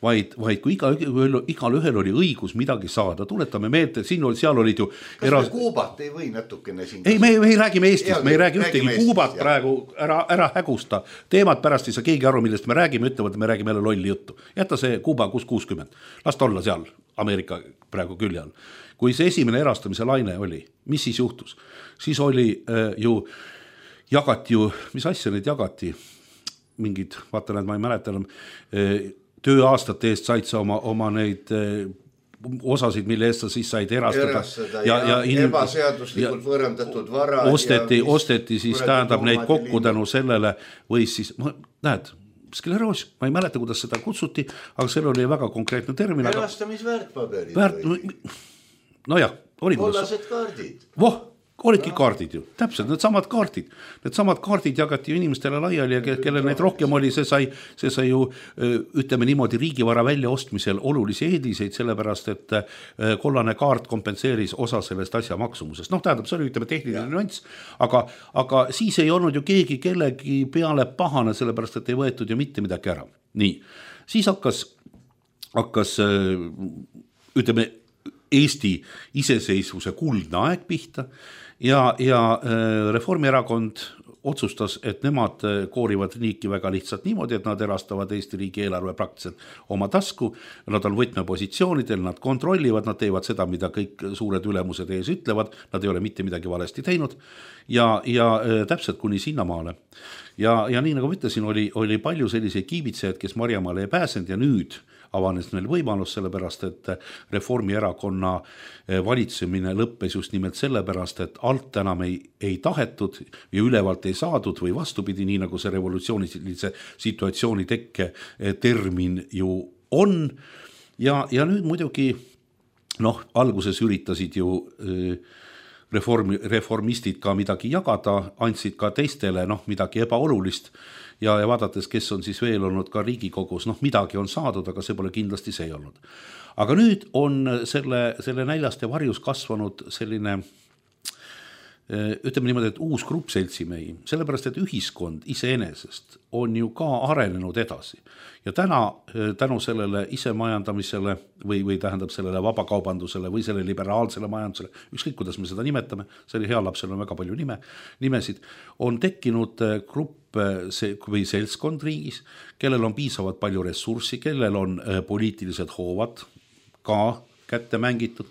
vaid kui igal ühel oli õigus midagi saada. Tuletame meelde, seal olid ju... Kas me Kuubat ei või natukene siin... Ei, me ei räägime Eestist, me ei räägi ühtegi Kuubat praegu, ära hägusta. Teemad pärast ei saa keegi aru, millest me räägime, ütlevad, me räägime jälle lolli juttu. Jäta see Kuuba 60. Las ta olla seal Ameerika praegu külje all. Kui see esimene erastamise laine oli, mis siis juhtus? Siis oli jagati ju, mis asja neid jagati? Mingid, vaata need, ma ei mäleta enam, tööaastate eest said sa oma neid osasid, mille eest sa siis said erastada ja ebaseaduslikult võõrandatud vara osteti siis tähendab neid kokku tänu sellele või siis, näed, skleroos, ma ei mäleta, kuidas seda kutsuti, aga seal oli väga konkreetne termin. Erastamisväärtpaberid. Nojah, oli kollased kaardid. Olidki kaardid ju, täpselt, needsamad kaardid jagati inimestele laiali ja kellel neid rohkem oli, see sai ju, ütleme niimoodi, riigivara väljaostmisel olulisi eeliseid, sellepärast, et kollane kaart kompenseeris osa sellest asja maksumusest. Tähendab, see oli, ütleme, tehniline nüanss, aga siis ei olnud ju keegi kellegi peale pahane, sellepärast, et ei võetud ju mitte midagi ära. Nii, siis hakkas ütleme, Eesti iseseisvuse kuldne aeg pihta ja Reformierakond otsustas, et nemad koorivad riiki väga lihtsalt niimoodi, et nad erastavad Eesti riigi eelarve praktiliselt oma tasku, nad on võtmepositsioonidel, nad kontrollivad, nad teevad seda, mida kõik suured ülemused ees ütlevad, nad ei ole mitte midagi valesti teinud ja täpselt kuni sinnamaale. Ja nii nagu ütlesin, oli palju selliseid kiibitsejaid, kes Marjamaale ei pääsenud ja nüüd avanes meil võimalus, sellepärast, et Reformierakonna valitsemine lõppes just nimelt sellepärast, et alt enam ei tahetud ja ülevalt ei saadud või vastupidi, nii nagu see revolutsioonilise situatsiooni tekke termin ju on. Ja nüüd muidugi, alguses üritasid ju reformistid ka midagi jagada, andsid ka teistele midagi ebaolulist ja vaadates, kes on siis veel olnud ka Riigikogus, midagi on saadud, aga see pole kindlasti see olnud. Aga nüüd on selle näljast ja varjus kasvanud selline ütleme niimoodi, et uus grupp seltsimehi, sellepärast, et ühiskond iseenesest on ju ka arenenud edasi. Ja täna tänu sellele isemajandamisele või tähendab sellele vabakaubandusele või selle liberaalsele majandusele, ükskõik kuidas me seda nimetame, see hea lapsel on väga palju nimesid, on tekkinud grupp või seltskond riigis, kellel on piisavalt palju ressurssi, kellel on poliitilised hoovad ka kätte mängitud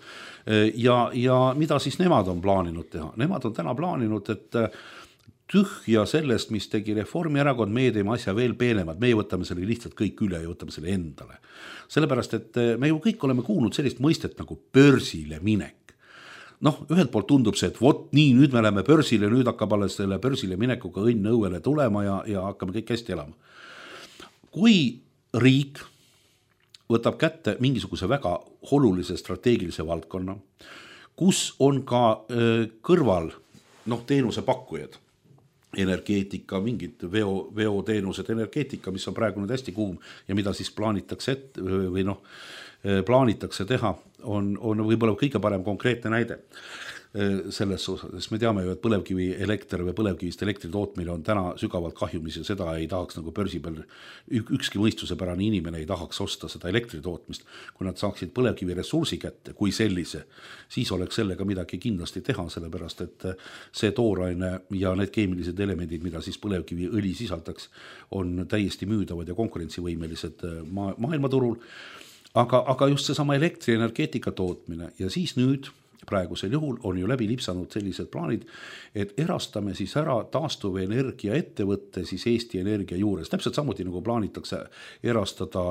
ja mida siis nemad on plaaninud teha? Nemad on täna plaaninud, et tühja sellest, mis tegi Reformierakond, meie teeme asja veel peenemad, meie võtame selle lihtsalt kõik üle ja võtame selle endale. Sellepärast, et me ju kõik oleme kuulnud sellist mõistet nagu börsile minek. Noh, ühelt poolt tundub see, et vot nii, nüüd me läheme börsile, nüüd hakkab alles selle börsile minekuga õnn õuele tulema ja hakkame kõik hästi elama. Kui riik võtab kätte mingisuguse väga olulise strateegilise valdkonna, kus on ka kõrval teenuse pakkujad, energeetika, mingid veoteenused, energeetika, mis on praegu nüüd hästi kuum ja mida siis plaanitakse teha, on võib-olla kõige parem konkreetne näide selles osas, sest me teame ju, et põlevkivi elekter või põlevkivist elektri tootmine on täna sügavalt kahjumis ja seda ei tahaks nagu börsi peal, ükski mõistusepärane inimene ei tahaks osta seda elektri tootmist, kui nad saaksid põlevkivi ressursi kätte kui sellise, siis oleks sellega midagi kindlasti teha, sellepärast et see tooraine ja need keemilised elemendid, mida siis põlevkivi õli sisaldaks, on täiesti müüdavad ja konkurentsivõimelised maailmaturul, aga just seesama elektrienergeetika tootmine ja siis nüüd praegusel juhul on ju läbi lipsanud sellised plaanid, et erastame siis ära taastuvenergia ettevõtte siis Eesti Energia juures. Täpselt samuti nagu plaanitakse erastada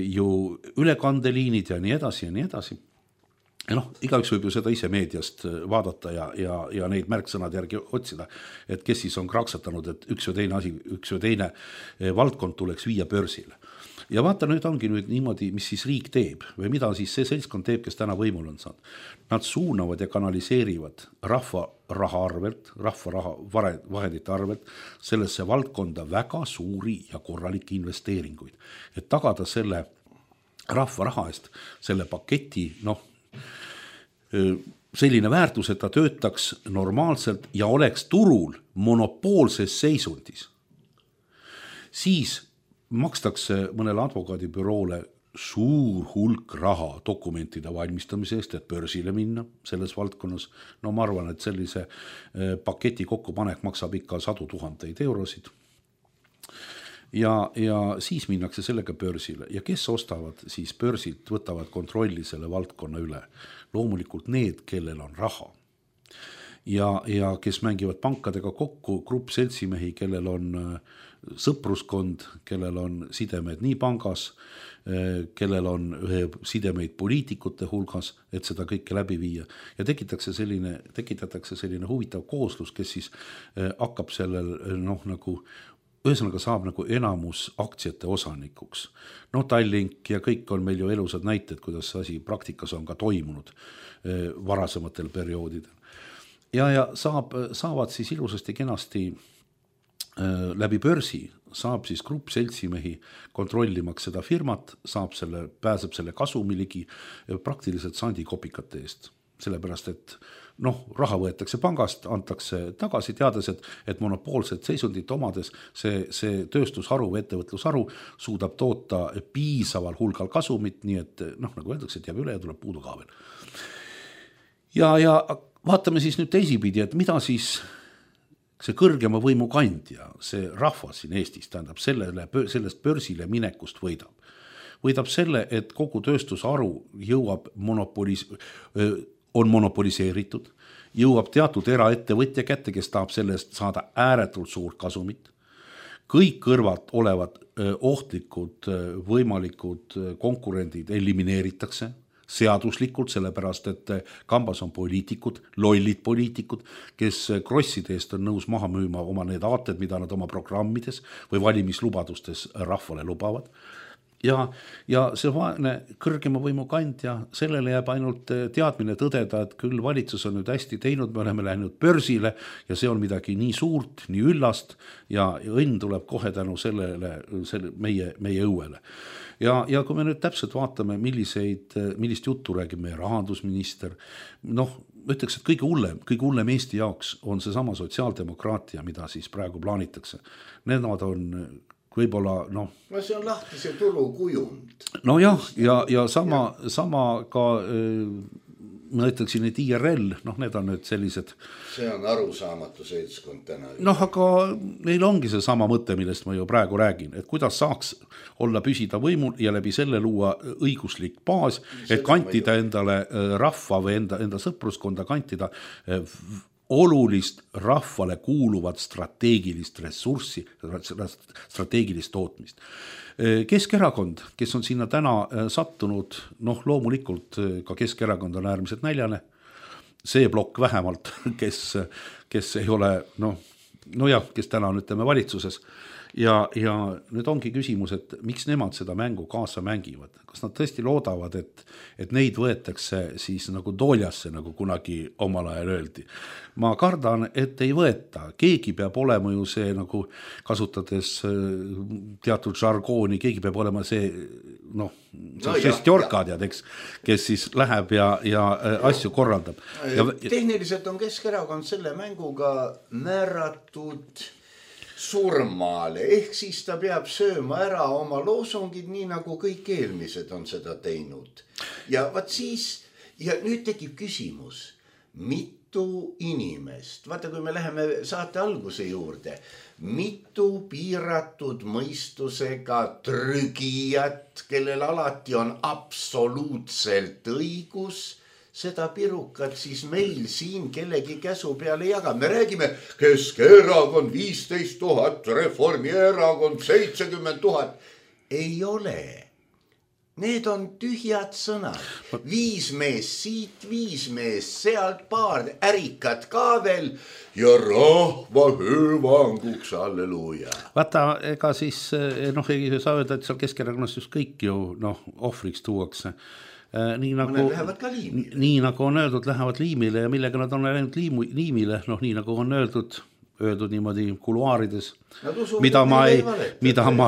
ju ülekandeliinid ja nii edasi ja nii edasi. Ja igaüks võib ju seda ise meediast vaadata ja neid märksõnad järgi otsida, et kes siis on kraksatanud, et üks või teine valdkond tuleks viia börsile. Ja vaata, nüüd ongi nüüd niimoodi, mis siis riik teeb või mida siis see seltskond teeb, kes täna võimul on saanud. Nad suunavad ja kanaliseerivad rahva raha arvelt, rahva raha vahendite arvelt sellesse valdkonda väga suuri ja korralikke investeeringuid. Et tagada selle rahva raha eest, selle paketi, selline väärtus, et ta töötaks normaalselt ja oleks turul monopoolses seisundis. Siis makstakse mõnele advokaadibüroole suur hulk raha dokumentide valmistamise eest, et börsile minna selles valdkonnas. Ma arvan, et sellise paketi kokkupanek maksab ikka 100 000 eurosid. Ja siis minnakse sellega börsile ja kes ostavad siis börsilt, võtavad kontrolli selle valdkonna üle. Loomulikult need, kellel on raha. Ja kes mängivad pankadega kokku, grupp seltsimehi, kellel on sõpruskond, kellel on sidemed nii pangas, kellel on sidemeid poliitikute hulgas, et seda kõike läbi viia. Ja tekitatakse selline huvitav kooslus, kes siis hakkab sellel ühesõnaga saab nagu enamus aktsiate osanikuks. Tallink ja kõik on meil ju elusad näited, kuidas asi praktikas on ka toimunud varasematel perioodidel. Ja saavad siis ilusasti kenasti läbi börsi, saab siis grupp seltsimehi kontrollimaks seda firmat, pääseb selle kasumiligi praktiliselt sandikopikate eest. Sellepärast, et raha võetakse pangast, antakse tagasi, teades, et monopoolset seisundit omades see tööstusharu või ettevõtlusharu suudab toota piisaval hulgal kasumit, nii et nagu öeldakse, et jääb üle ja tuleb puudu ka veel. Ja vaatame siis nüüd teisipidi, et mida siis see kõrgema võimu kandja, see rahvas siin Eestis, tähendab sellest börsile minekust võidab. Võidab selle, et kogu tööstusharu on monopoliseeritud, jõuab teatud eraettevõtja kätte, kes tahab sellest saada ääretult suurt kasumit. Kõik kõrvalt olevad ohtlikud võimalikud konkurendid elimineeritakse seaduslikult, sellepärast, et kambas on poliitikud, lollid poliitikud, kes krosside eest on nõus maha müüma oma need aated, mida nad oma programmides või valimislubadustes rahvale lubavad. Ja see vaene kõrgema võimu kandja, sellele jääb ainult teadmine tõdeda, et küll valitsus on nüüd hästi teinud, me oleme läinud börsile ja see on midagi nii suurt, nii üllast ja õnn tuleb kohe tänu sellele meie õuele. ja kui me nüüd täpselt vaatame, millist juttu räägib meie rahandusminister, noh, ütleks, et kõige hullem Eesti jaoks on see sama sotsiaaldemokraatia, mida siis praegu plaanitakse. Nemad on võib-olla, noh. No see on lahtise turu kujund. No jah, ja sama ka, ma ütleksin, et IRL, noh, need on nüüd sellised. See on arusaamatu seltskond täna. Noh, aga neil ongi see sama mõte, millest ma ju praegu räägin, et kuidas saaks olla püsida võimul ja läbi selle luua õiguslik baas, et kantida endale rahva või enda sõpruskonda kantida olulist rahvale kuuluvat strateegilist ressurssi, strateegilist tootmist. Keskerakond, kes on sinna täna sattunud, noh, loomulikult ka Keskerakond on äärmiselt näljane, see plokk vähemalt, kes ei ole, kes täna on, ütleme, valitsuses, ja nüüd ongi küsimus, et miks nemad seda mängu kaasa mängivad, kas nad tõesti loodavad, et neid võetakse siis nagu tooljasse, nagu kunagi omal ajal öeldi. Ma kardan, et ei võeta, keegi peab olema ju see, nagu kasutades teatud žargooni, keegi peab olema see, šestjorka tead, eks, kes siis läheb ja asju korraldab. Tehniliselt on Keskerakond selle mänguga määratud surmale, ehk siis ta peab sööma ära oma loosungid, nii nagu kõik eelmised on seda teinud. Ja vaat siis, ja nüüd tekib küsimus, mitu inimest, vaata kui me läheme saate alguse juurde, mitu piiratud mõistusega trügijat, kellel alati on absoluutselt õigus, seda pirukat siis meil siin kellegi käsu peale jaga. Me räägime Keskerakond 15 000, Reformierakond 70 000. Ei ole. Need on tühjad sõnad. 5 mees siit, 5 mees sealt, paar ärikat ka veel ja rahva hüvanguks, halleluuja. Vaata, ega siis, ei saa öelda, et seal Keskerakonnast just kõik ju, ohvriks tuuakse. Nii nagu on öeldud, lähevad liimile ja millega nad on läinud liimile, nii nagu on öeldud niimoodi kuluaarides, mida ma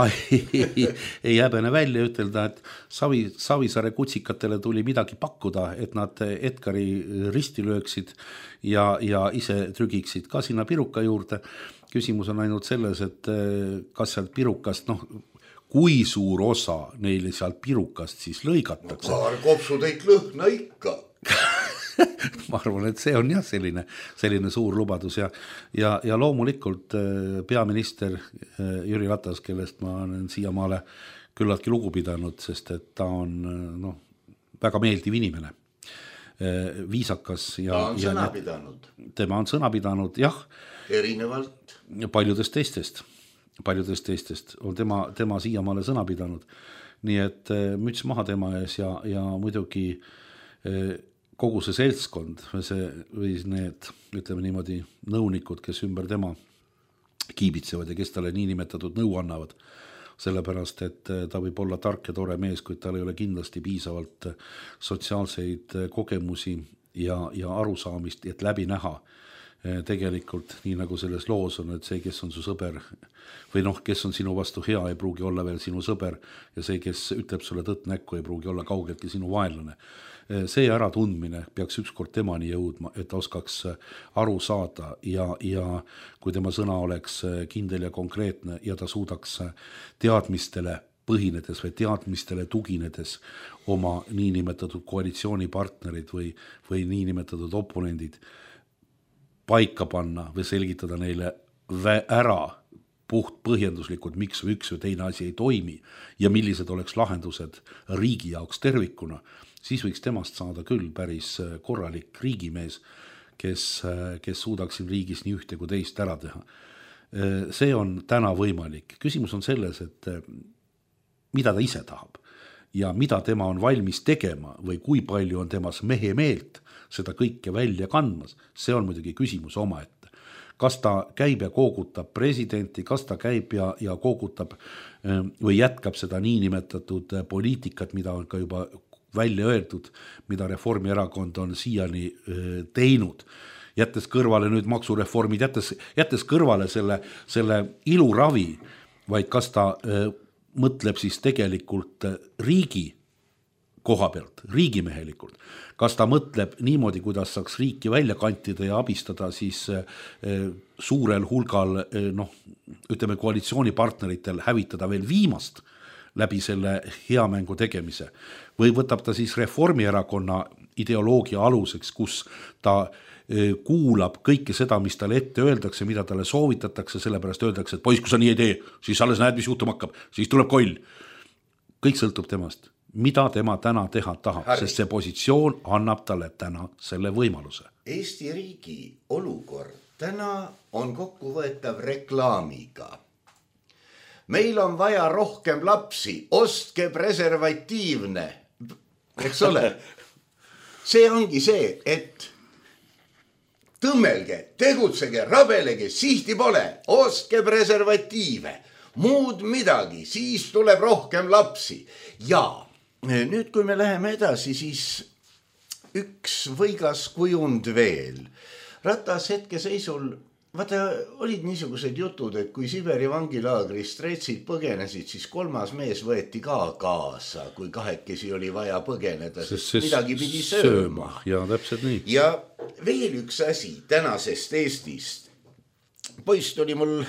ei häbene välja ütelda, et Savisaare kutsikatele tuli midagi pakkuda, et nad Edgari risti lööksid ja ise trügiksid ka sinna piruka juurde. Küsimus on ainult selles, et kas sealt pirukast, kui suur osa neile sealt pirukast siis lõigatakse. Paar kopsuteid lõhna ikka. Ma arvan, et see on jah selline suur lubadus ja loomulikult peaminister Jüri Ratas, kellest ma olen siiamaale küllaltki lugu pidanud, sest et ta on väga meeldiv inimene, viisakas ja ta on sõna pidanud. Tema on sõna pidanud, jah. Erinevalt paljudest teistest on tema siiamaale sõna pidanud. Nii et müts maha tema ees ja muidugi kogu see seltskond või need, ütleme niimoodi, nõunikud, kes ümber tema kiibitsevad ja kes talle niinimetatud nõu annavad. Sellepärast, et ta võib olla tark ja tore mees, kuid tal ei ole kindlasti piisavalt sotsiaalseid kogemusi ja arusaamist, et läbi näha tegelikult, nii nagu selles loos on, et see, kes on su sõber või kes on sinu vastu hea, ei pruugi olla veel sinu sõber ja see, kes ütleb sulle tõtt näkku, ei pruugi olla kaugeltki sinu vaenlane. See äratundmine peaks ükskord temani jõudma, et ta oskaks aru saada ja kui tema sõna oleks kindel ja konkreetne ja ta suudaks teadmistele põhinedes või teadmistele tuginedes oma niinimetatud koalitsioonipartnerid või niinimetatud oponendid paika panna või selgitada neile ära puht põhjenduslikult, miks üks või teine asi ei toimi ja millised oleks lahendused riigi jaoks tervikuna, siis võiks temast saada küll päris korralik riigimees, kes suudaks siin riigis nii ühte kui teist ära teha. See on täna võimalik. Küsimus on selles, et mida ta ise tahab ja mida tema on valmis tegema või kui palju on temas mehe meelt seda kõike välja kandmas, see on muidugi küsimus omaette. Kas ta käib ja koogutab presidenti, kas ta käib ja koogutab või jätkab seda niinimetatud poliitikat, mida on ka juba välja öeldud, mida Reformierakond on siiani teinud, jättes kõrvale nüüd maksureformid, jättes kõrvale selle iluravi, vaid kas ta mõtleb siis tegelikult riigi koha pealt, riigimehelikult. Kas ta mõtleb niimoodi, kuidas saaks riiki välja kantida ja abistada siis suurel hulgal, ütleme koalitsioonipartneritel hävitada veel viimast läbi selle hea mängu tegemise. Või võtab ta siis Reformierakonna ideoloogia aluseks, kus ta kuulab kõike seda, mis talle ette öeldakse, mida talle soovitatakse, sellepärast öeldakse, et poiss, kui sa nii ei tee, siis alles näed, mis juhtuma hakkab, siis tuleb koll. Kõik sõltub temast. Mida tema täna teha tahab, sest see positsioon annab talle täna selle võimaluse. Eesti riigi olukord täna on kokkuvõetav reklaamiga. Meil on vaja rohkem lapsi, ostke preservatiivne, eks ole. See ongi see, et tõmmelge, tegutsege, rabelege, sihti pole, ostke preservatiive, muud midagi, siis tuleb rohkem lapsi. Ja nüüd, kui me läheme edasi, siis üks võigas kujund veel. Ratas hetkeseisul, vaata, olid niisugused jutud, et kui Siberi vangilaagrist reetsid põgenesid, siis 3. mees võeti ka kaasa, kui kahekesi oli vaja põgeneda, sest midagi pidi sööma. Ja täpselt nii. Ja veel üks asi tänasest Eestist. Poiss tuli mul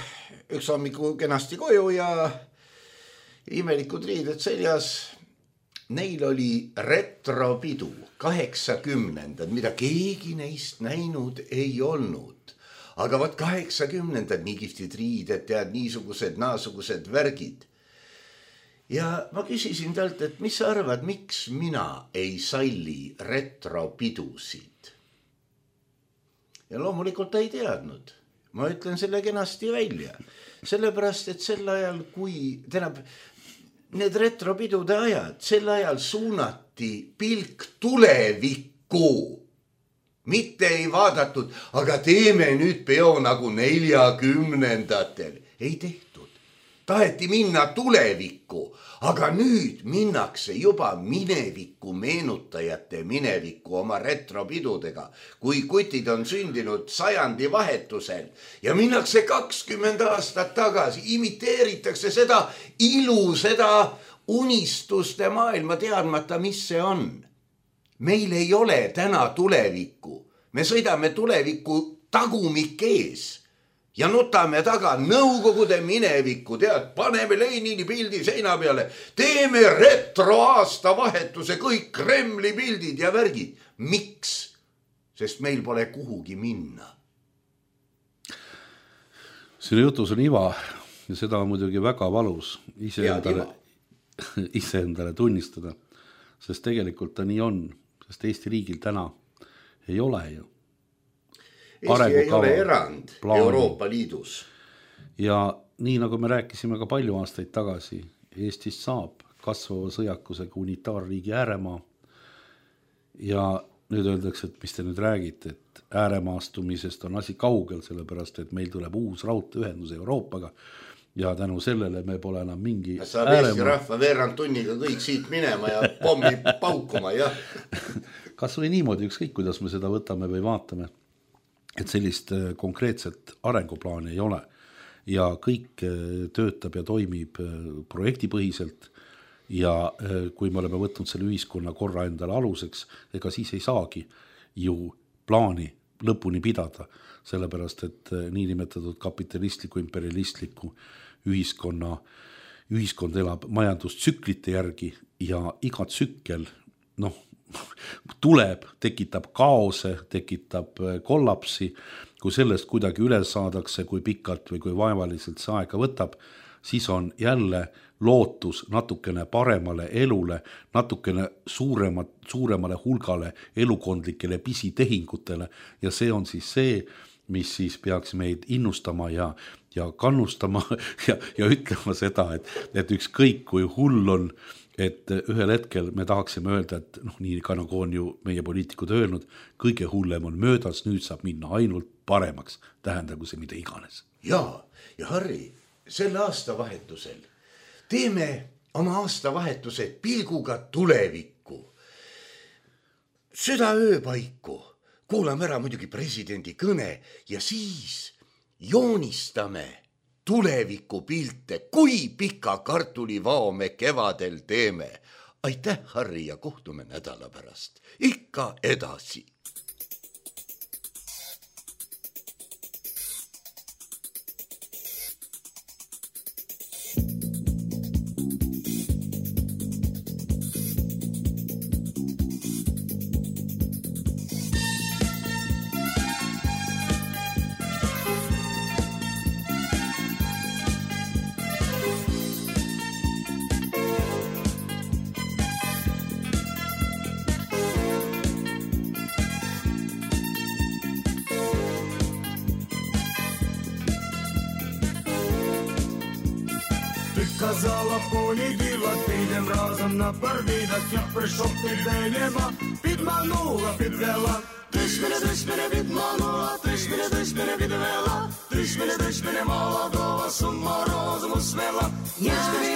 üks hommiku kenasti koju ja imelikud riided seljas. Neil oli retropidu 80-ndad, mida keegi neist näinud ei olnud. Aga vaat 80-ndad, nii kihvtid riided, tead, niisugused, naasugused värgid. Ja ma küsisin talt, et mis sa arvad, miks mina ei salli retropidusid? Ja loomulikult ta ei teadnud. Ma ütlen selle kenasti välja. Sellepärast, et sel ajal, kui need retropidude ajad, sel ajal suunati pilk tulevikku. Mitte ei vaadatud, aga teeme nüüd peo nagu 40-ndatel. Ei tehtud. Taheti minna tulevikku, aga nüüd minnakse juba minevikku meenutajate minevikku oma retropidudega, kui kutid on sündinud 100. vahetusel ja minnakse 20 aastat tagasi, imiteeritakse seda ilu, seda unistuste maailma teadmata, mis see on. Meil ei ole täna tulevikku. Me sõidame tulevikku tagumik ees. Ja nutame taga nõukogude minevikku, tead, paneme Lenini pildi seina peale, teeme retroaasta vahetuse, kõik Kremli pildid ja värgid. Miks? Sest meil pole kuhugi minna. Sinu jutus on iva ja seda on muidugi väga valus iseendale tunnistada, sest tegelikult ta nii on, sest Eesti riigil täna ei ole ju. Eesti ei ole erand Euroopa Liidus. Ja nii nagu me rääkisime ka palju aastaid tagasi, Eestist saab kasvava sõjakusega unitaarriigi ääremaa. Ja nüüd öeldakse, et mis te nüüd räägite, et ääremaastumisest on asi kaugel, sellepärast, et meil tuleb uus raudteeühendus Euroopaga ja tänu sellele me pole enam mingi saab Eesti rahva veerand tunniga kõik siit minema ja pommi paukuma, jah. Kas või niimoodi, ükskõik kuidas me seda võtame või vaatame, et sellist konkreetset arenguplaani ei ole ja kõik töötab ja toimib projektipõhiselt ja kui me oleme võtnud selle ühiskonna korra endale aluseks, ega siis ei saagi ju plaani lõpuni pidada, sellepärast et niinimetatud kapitalistliku, imperialistliku ühiskond elab majandustsüklite järgi ja iga tsükkel, tuleb, tekitab kaose, tekitab kollapsi, kui sellest kuidagi üle saadakse, kui pikalt või kui vaevaliselt see aega võtab, siis on jälle lootus natukene paremale elule, natukene suuremale hulgale elukondlikele pisitehingutele ja see on siis see, mis siis peaks meid innustama ja kannustama ja ütlema seda, et ükskõik kui hull on, et ühel hetkel me tahaksime öelda, et nii ka nagu on ju meie poliitikud öelnud, kõige hullem on möödas, nüüd saab minna ainult paremaks, tähendagu see mida iganes. Ja Harri, selle aastavahetusel teeme oma aastavahetused pilguga tulevikku. Süda ööpaiku, kuulame ära muidugi presidendi kõne ja siis joonistame tulevikupilte, kui pika kartulivao me kevadel teeme. Aitäh, Harri, ja kohtume nädala pärast. Ikka edasi. Казала, понеділок, підем разом на парвідок. Я прийшов тебе нема, підманула, підвела. Ти ж мене відманула, ти ж мене відвела. Ти ж мене молодого з ума розуму свела. Я ж тебе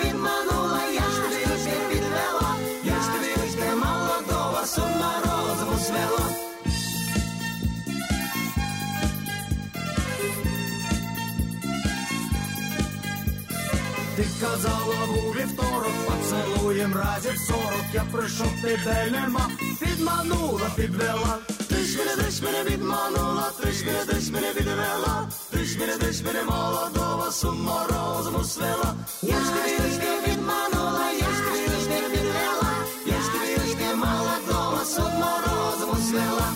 відманула, я ж тебе відвела. Я ж тебе молодого з ума розуму свела. Ти казала у вівторок, поцілуєм разів 40. Я прийшов, тебе нема, підманула, підвела. Ти ж мене відманула, ти ж мене відвела. Ти ж мене молодого з ума розуму свела. Я ж тебе відманула, я ж тебе відвела. Я ж тебе молодого з ума розуму свела.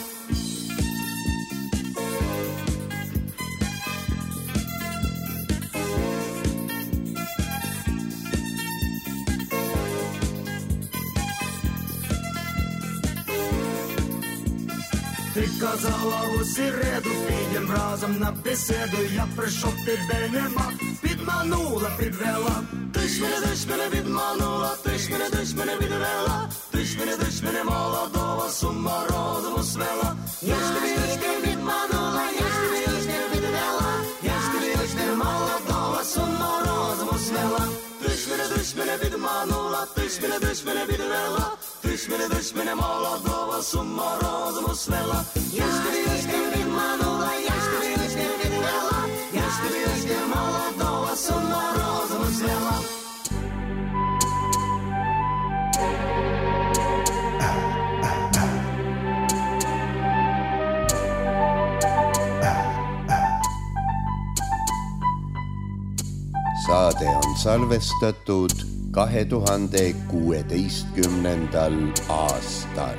Ти казала у середу, підем разом на беседу. Я прийшов, тебе нема, підманула, підвела. Ти ж мене відманула, ти ж мене відвела. Ти ж мене молодого з ума розуму свела. Я ж тебе відманула, я ж тебе відвела. Я ж тебе молодого з ума розуму свела. Ти ж мене відманула, ти ж мене відвела. Ти ж мене молодого з ума розуму свела. Я ж тебе відманула, я ж тебе відвела. Я ж тебе молодого з ума розуму свела. Saade on salvestatud 2016. aastal.